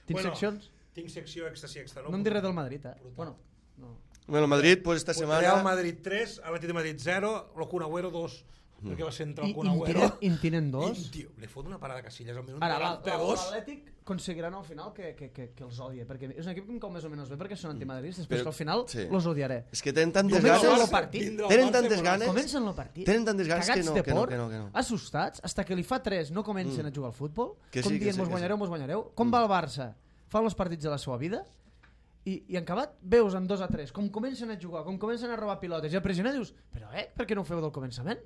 Tens seccions? Tinc secció èxtasi extra. No em diré del Madrid, eh? Bueno, no. Bueno, el Madrid, pues, esta Pues setmana... Real Madrid tres, Atlètic de Madrid zero, el Kun Agüero dos, perquè va ser entrar I el Kun en Agüero. tenen, en tenen dos? I, tio, li fot una parada a Casillas al minut Ara, la- la- noranta-dos. l'Atlètic aconseguiran al final que, que, que, que els odie, perquè és un equip que em cau més o menys bé perquè són antimadridistes, però Però- és que al final sí. los odiaré. És que tenen tantes Comencen ganes... el partit. Vindrà el Tenen Barça i tantes Monaco. ganes... Comencen el partit. Tenen tantes ganes que cagats no, de que no, por, que no, que no. assustats, hasta que li fa tres no comencen Mm. a jugar al futbol, Que com sí, que dient, sí, mos que guanyareu, sí. mos guanyareu. Com va el Barça? Fa els partits de la seva vida i, i en acabat veus en dos a tres com comencen a jugar, com comencen a robar pilotes i a pressionar dius, però eh, per què no ho feu del començament?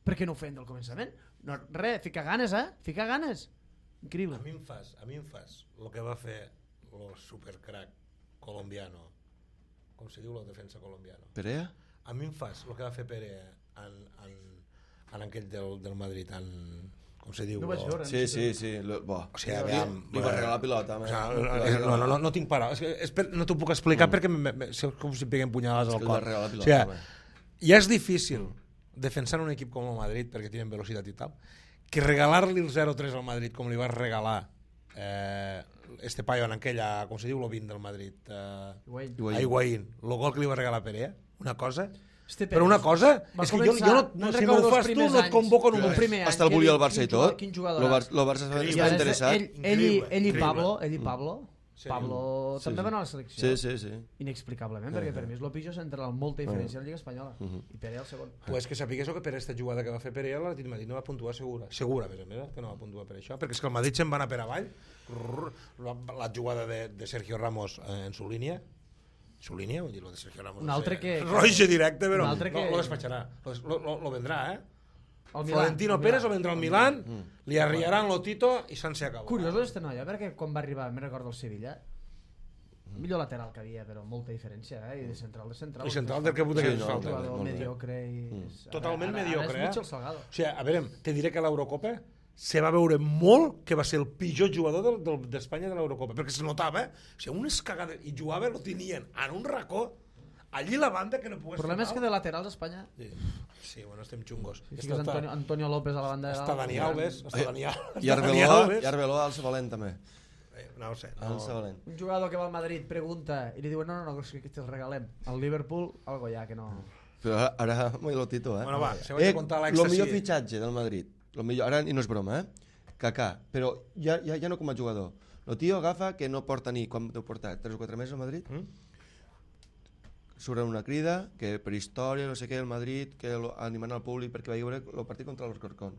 Per què no ho feien del començament? No, res, fica ganes, eh? Fica ganes. Increïble. A mi em fas, a mi em fas el que va fer el supercrack colombiano, com se diu la defensa colombiano. Perea? A mi em fas el que va fer Pere en, en, en aquell del, del Madrid, en, com se diu? No vaig Lo- veure. Sí, sí, sí. Lo, bo. O sigui, li, aviam, li va regalar la pilota. O home. sigui, no, no, no, no tinc paraules. És que, és per, no t'ho puc explicar mm. perquè me, me, és com si em peguen punyalades És al que li va cor. regalar la O pilota. sigui, home. ja és difícil defensar un equip com el Madrid perquè tenen velocitat i tal, que regalar-li el zero tres al Madrid com li vas regalar eh, este paio en aquella, com se diu, lo vint del Madrid, eh, Higuaín. Higuaín. a Higuaín, el gol que li va regalar Perea, una cosa... Este Però una cosa, va és que jo, començar- jo no, no no, si recordo m'ho els fas tu, primers no et anys. convoco El només. primer any, Hasta el quin- volia el Barça i quin jugador- tot. quin Lo jugador Bar- lo Barça Increïble. està interessat. Ell, ell, i, Increïble, ell i increïble. Pablo, ell i Pablo, Sí. Pablo Sí, també sí. van a la selecció. Sí, sí, sí. Inexplicablement, perquè per mi és el pitjor central amb molta diferència a la Lliga Espanyola. I Pere el segon. Pues que sapigués que per aquesta jugada que va fer Perea l'Atlètic de Madrid no va puntuar segura. Segura, a més a més, eh, que no va puntuar per això. Perquè és que el Madrid se'n va anar per avall. Rrr, La, la jugada de, de Sergio Ramos eh, en su línia. Su línia, vull dir, lo de Sergio Ramos. Un no altre sé, que- Roige directe, però un altre que- lo, lo despatxarà. Lo, lo, lo, lo vendrà, eh? El Milà, Florentino el Pérez Milà. o vendrà al Milán, li arriaran lo Tito i se'n se acabó. Curiós d'este noia, perquè quan va arribar, me recordo el Sevilla, millor lateral que havia, però molta diferència, eh? I de central de central. I central del que puta Sí, que ens no, falta. Jugador molt bé. mediocre i... Totalment ara, ara, mediocre, Ara és eh? Mitchell Salgado. O sigui, a veure, te diré que a l'Eurocopa se va veure molt que va ser el pitjor jugador del- del- d'Espanya de l'Eurocopa, perquè se notava, eh? O sigui, unes cagades, i jugava, lo tenien en un racó, allí la banda que no pogués El problema és fer que de laterals a Espanya... Sí, sí, bueno, estem xungos. Si fiques Antonio, Antonio López a la banda de Està dalt... Dani Alves, està Dani I Dani Arbeloa, Alves. i Arbeloa al Sabalent també. Eh, No ho sé. Al No. Sabalent. Un jugador que va al Madrid pregunta i li diuen no, no, no, que te'l regalem. Al Liverpool, algo ja, que no... Però ara, ara muy lo Tito, eh? Bueno, va, se vaig a contar l'extasi. Lo millor fitxatge del Madrid, lo millor, ara, i no és broma, eh? Kaká, però ja, ja, ja no com a jugador. El tio agafa que no porta ni, quan deu portar, tres o quatre mesos a Madrid, mm? surt una crida que per història, no sé què, el Madrid, que lo, animant al públic perquè va veure el partit contra l'Alcorcón.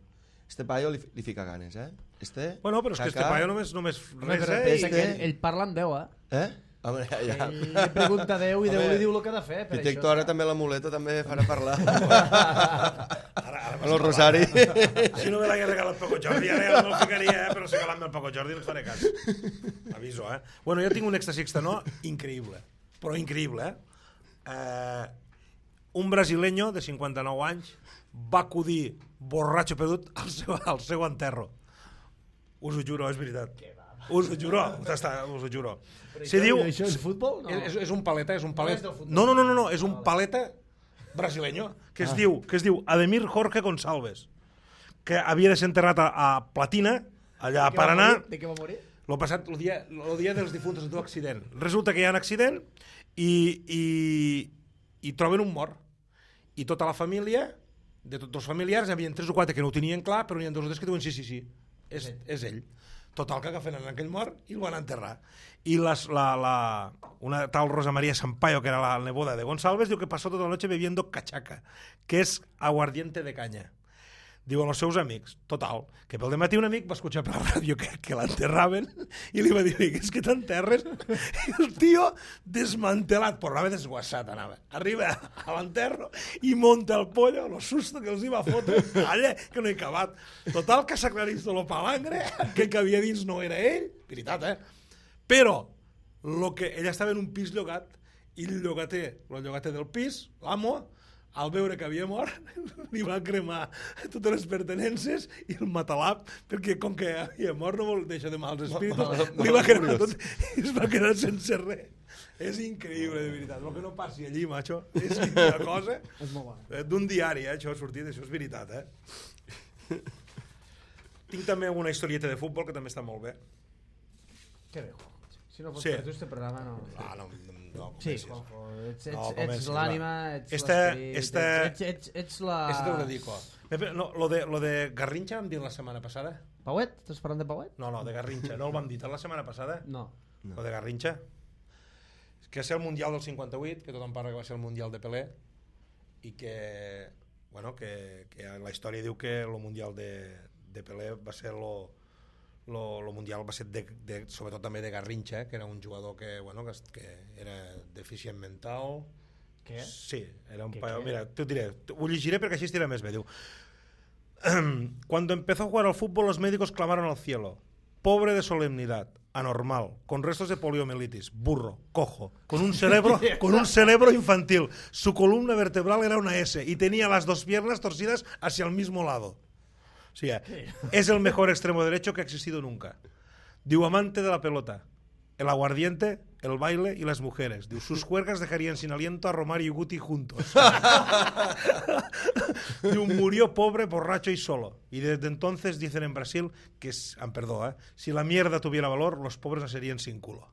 Este paio li, li fica ganes, eh? Este, bueno, però és que este paio només, només res, eh? Pensa que ell, ell parla amb Déu, eh? Eh? Home, ja, ja. Ell li pregunta a Déu i Déu li diu el que ha de fer. Per Director, ara també la muleta també farà parlar. ara, ara amb el Rosari. Si no me l'hagués regalat el Paco Jordi, ara ja no el ficaria, eh? Però si regalant-me el Paco Jordi no et faré cas. Aviso, eh? Bueno, jo tinc un èxtasi externó increïble, però increïble, eh? eh? Un brasileño de cinquanta-nou anys va acudir borratxo perdut al seu, al seu enterro. Us ho juro, és veritat. Us ho juro, us ho juro. Si diu, això és futbol? No. És, és un paleta, és un paleta. No, no, no, no, no, és un paleta brasileño que es ah. diu, que es diu Ademir Jorge Gonçalves, que havia de ser enterrat a, a Platina, allà a Paraná. De què va morir? Lo passat, el dia, el dia dels difunts, el teu accident. Resulta que hi ha un accident i, i, i troben un mort. I tota la família, de tots els familiars, hi havia tres o quatre que no ho tenien clar, però n'hi ha dos o tres que diuen sí, sí, sí, és, és ell. Total, que agafen en aquell mort i el van enterrar. I les, la, la, una tal Rosa María Sampaio, que era la neboda de Gonçalves, diu que passó tota la noche bebiendo cachaca, que és aguardiente de canya. Diuen els seus amics, total, que pel dematí un amic va escuchar per la ràdio que, que l'enterraven i li va dir, és que t'enterres? I el tio desmantelat, però anava desguassat, anava. Arriba a l'enterro i monta el pollo, lo susto que els hi va fotre, allà, que no he acabat. Total, que s'aclarís tot el palangre, que el que havia dins no era ell, veritat, eh? Però, lo que, ella estava en un pis llogat i el llogater, el llogater del pis, l'amo, al veure que havia mort, li va cremar totes les pertenences i el matalap, perquè com que havia mort no vol deixar de mals espíritus, li va cremar tot i es va quedar sense res. És increïble, de veritat. El que no passi allí, macho, és una cosa d'un diari, eh? Això ha sortit, això és veritat, eh? Tinc també una historieta de futbol que també està molt bé. Que bé, Juanjo. Si no fos sí. per tu, este programa no... Ah, no, no, sí, Juanjo, ets, ets, no, ets l'ànima, ets este, l'esperit, este, ets, ets, ets la... Este te ho dedico. No, lo, de, lo de Garrincha vam dir la setmana passada? Pauet? Estàs parlant de Pauet? No, no, de Garrincha. No el vam dir la setmana passada? No. no. Lo de Garrincha? Que és el Mundial del cinquanta-vuit, que tothom parla que va ser el Mundial de Pelé, i que, bueno, que, que la història diu que el Mundial de, de Pelé va ser lo... Lo, lo mundial va ser de, de, sobretot també de Garrincha, que era un jugador que, bueno, que, que era deficient mental. Què? Sí, era un ¿Qué, paio. qué? Mira, te ho diré, ho llegiré perquè així estirà més bé. Diu, cuando empezó a jugar al fútbol los médicos clamaron al cielo, pobre de solemnidad, anormal, con restos de poliomielitis, burro, cojo, con un cerebro, con un cerebro infantil, su columna vertebral era una S y tenía las dos piernas torcidas hacia el mismo lado. O sea, es el mejor extremo derecho que ha existido nunca. Diu, amante de la pelota, el aguardiente, el baile y las mujeres. Diu, sus juergas dejarían sin aliento a Romario y Guti juntos. Diu, murió pobre, borracho y solo. Y desde entonces dicen en Brasil que, es, ah, perdó, eh, si la mierda tuviera valor, los pobres nacerían sin culo.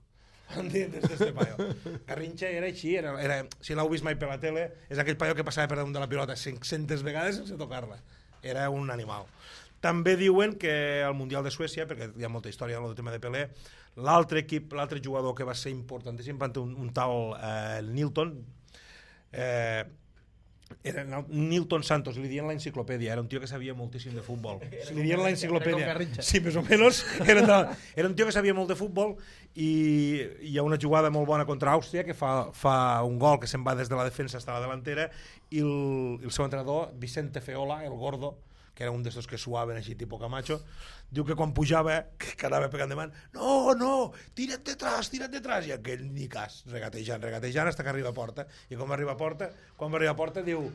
¿Entiendes? Este paio. Garrincha era així, era, era, si l'heu vist mai per la tele, és aquell paio que passava per damunt de la pilota cinc-centes vegades sense tocar-la. Era un animal. També diuen que al Mundial de Suècia, perquè hi ha molta història en el tema de Pelé, l'altre equip, l'altre jugador que va ser importantíssim, un, un tal eh, Nilton, eh, era Nilton Santos, li diuen l'enciclopèdia, era un tio que sabia moltíssim de futbol. Li diuen l'enciclopèdia. Sí, més o menys. Era, de, era un tio que sabia molt de futbol i hi ha una jugada molt bona contra Àustria que fa, fa un gol que se'n va des de la defensa fins a la delantera i el, el seu entrenador, Vicente Feola, el gordo, que era un d'estos que suaven així, tipus Camacho, diu que quan pujava, que anava pegant de man, no, no, tira't detrás, tira't detrás, i aquell ni cas, regatejant, regatejant, fins que arriba a porta, i com arriba a porta, quan va arribar a porta, diu,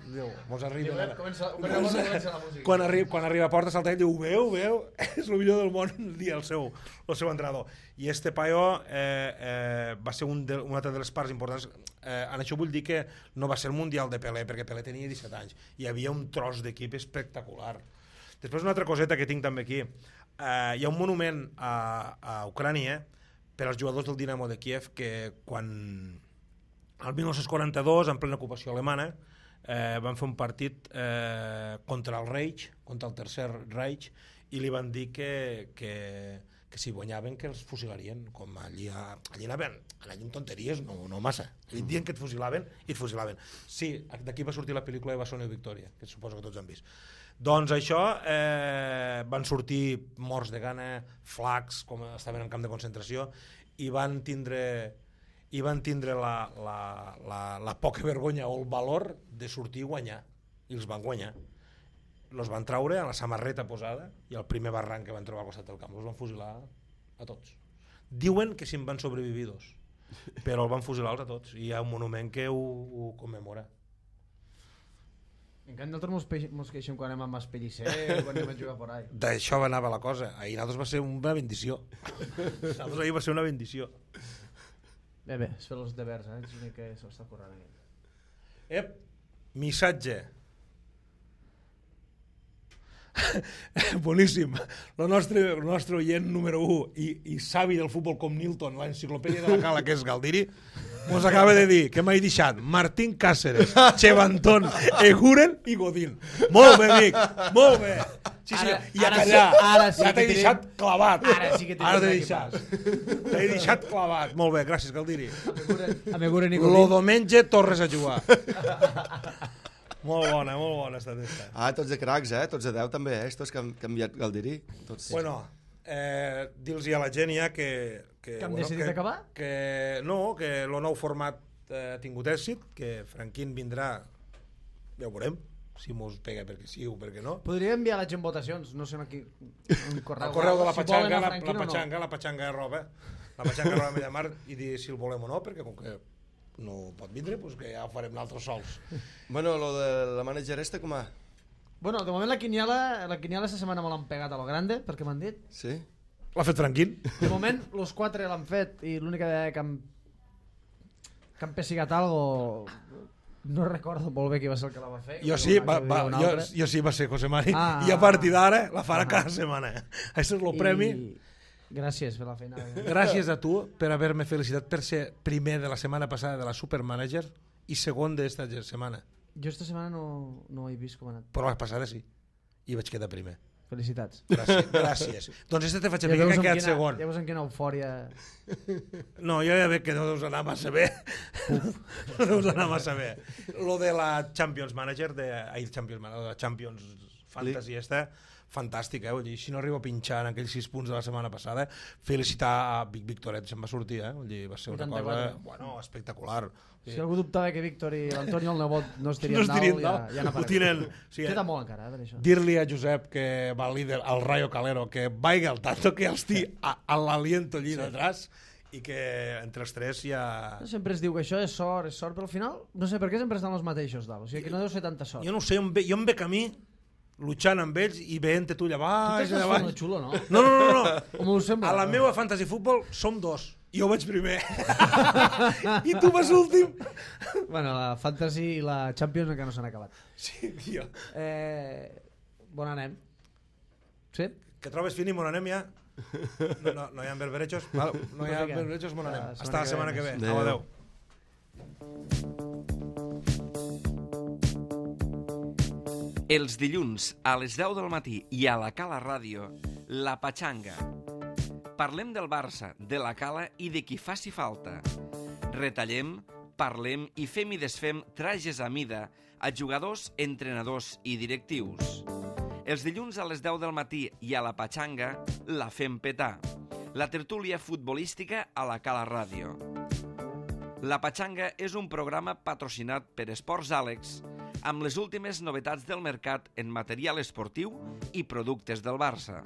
diu, mos arriba... Diu, comença, comença, comença la música. Quan arriba, quan arriba a porta, salta ell, diu, veu, veu, és el millor del món, dia el seu, el seu entrenador. I este paio eh, eh, va ser un de, una altra de les parts importants. Eh, en això vull dir que no va ser el Mundial de Pelé, perquè Pelé tenia disset anys. Hi havia un tros d'equip espectacular. Després una altra coseta que tinc també aquí. Eh, hi ha un monument a, a Ucrània per als jugadors del Dinamo de Kiev que quan, el dinou quaranta-dos, en plena ocupació alemana, eh, van fer un partit eh, contra el Reich, contra el Tercer Reich, i li van dir que, que, que si guanyaven que els fusilarien, com allí, allí anaven, allí en tonteries, no, no massa, allí diuen que et fusilaven i et fusilaven. Sí, d'aquí va sortir la pel·lícula de Bassonio Victoria, que suposo que tots han vist. Doncs això, eh, van sortir morts de gana, flacs, com estaven en camp de concentració, i van tindre, i van tindre la, la, la, la poca vergonya o el valor de sortir i guanyar, i els van guanyar. Els van traure a la samarreta posada i al primer barranc que van trobar al costat del camp els van fusilar a tots. Diuen que si en van sobrevivir dos, però el van fusilar a tots i hi ha un monument que ho, ho commemora. En canvi nosaltres mos, peix, mos queixem quan anem amb Espellicer, quan anem a jugar por ahí. D'això anava la cosa. Ahir nosaltres va ser una bendició. Nosaltres ahir va ser una bendició. Bé, bé, és fer els devers, eh? És l'únic que se l'està corrent aquí. Ep, missatge. Boníssim. El nostre, el nostre oient número u i, i savi del futbol com Nilton, l'enciclopèdia de la Cala, que és Galdiri, mos acaba de dir que m'ha deixat Martín Cáceres, Chevantón, Eguren i Godín. Molt bé, amic, molt bé. Sí, sí, Ara- i a ara callar. sí- ara sí ja que t'he tenim- deixat clavat. Ara sí que tenim Ara t'he aquí deixat. T'he deixat clavat. Molt bé, gràcies, Galdiri. A Meguren i Lo Godín. diumenge tornes a jugar. Molt bona, molt bona esta testa. Ah, tots de cracs, eh? Tots de deu també, eh? Estos que han canviat Galdiri. Tots. Bueno, eh, dir-los a la gent ja que... Que, Que hem bueno, decidit que, acabar? Que, no, que el nou format eh, ha tingut èxit, que Franquín vindrà, ja ho veurem, si mos pega perquè sí o perquè no. Podria enviar la gent votacions, no sé aquí, un correu. El correu de la Si patxanga, volen a la, Franquino la o no. patxanga, la patxanga arroba, la patxanga arroba Mediamar, i dir si el volem o no, perquè com que no pot vindre, doncs que ja ho farem nosaltres sols. Bueno, lo de la manager esta com a... Bueno, de moment la quiniela, la quiniela esta setmana me l'han pegat a lo grande, perquè m'han dit. Sí? L'ha fet Franquín. De moment, los quatre l'han fet i l'única vegada que han, que han pessigat algo... No recordo molt bé qui va ser el que la va fer. Jo sí, va, va, jo, jo sí va ser José Mari, Ah, i a partir d'ara la farà ah. cada setmana. Això és el premi. I... Gràcies per la feina. Gràcies a tu per haver-me felicitat per ser primer de la setmana passada de la Supermanager i segon d'esta setmana. Jo esta setmana no, no he vist com ha anat. Però la passada sí. I vaig quedar primer. Felicitats. Gràcies. Gràcies. Doncs este te faig a Ja mi, que veus he amb quedat quina- segon. Ja veus en quina eufòria... No, jo ja veig que no deus anar massa bé. No deus anar massa bé. Lo de la Champions Manager, de, ai, Champions Manager, la Champions Fantasy esta, fantàstica, eh? Vull dir, si no arribo a pinxar en aquells sis punts de la setmana passada, felicitar a Vic Victoret, se'n va sortir, eh? Vull dir, va ser una vuitanta-quatre. cosa, bueno, espectacular. Si algú dubtava que Víctor i l'Antonio el nebot no es tirien No es tirien dalt, ja, dalt. ja n'ha Ho tiren, sí, Queda molt encara, eh, per això. Dir-li a Josep, que va líder, al Rayo Calero, que vaiga al tanto que els estic a, a l'aliento allí sí. detrás i que entre els tres ja... Sempre es diu que això és sort, és sort, però al final no sé per què sempre estan els mateixos dalt. O sigui que no deu ser tanta sort. Jo no ho sé, jo em ve, jo em ve camí luchant amb ells i veient-te tu allà Tu baix, t'estàs allà fent baix. el xulo, no? No, no, no, no. Com ho sembla? A la meva fantasy futbol som dos. Jo vaig primer. I tu vas últim. Bueno, la Fantasy i la Champions encara no s'han acabat. Sí, jo. Eh... Bon anem. Sí? Que trobes finim, on anem ja? No, no, no hi ha berberechos? Val, no hi ha Pues vinga. berberechos, on anem? La setmana Hasta la que setmana ve que ve. més. Au, Adéu. adéu. Els dilluns a les deu del matí i a la Cala Ràdio, La Patxanga. Parlem del Barça, de la Cala i de qui faci falta. Retallem, parlem i fem i desfem trajes a mida a jugadors, entrenadors i directius. Els dilluns a les deu del matí i a la Patxanga la fem petar. La tertúlia futbolística a la Cala Ràdio. La Patxanga és un programa patrocinat per Esports Àlex amb les últimes novetats del mercat en material esportiu i productes del Barça.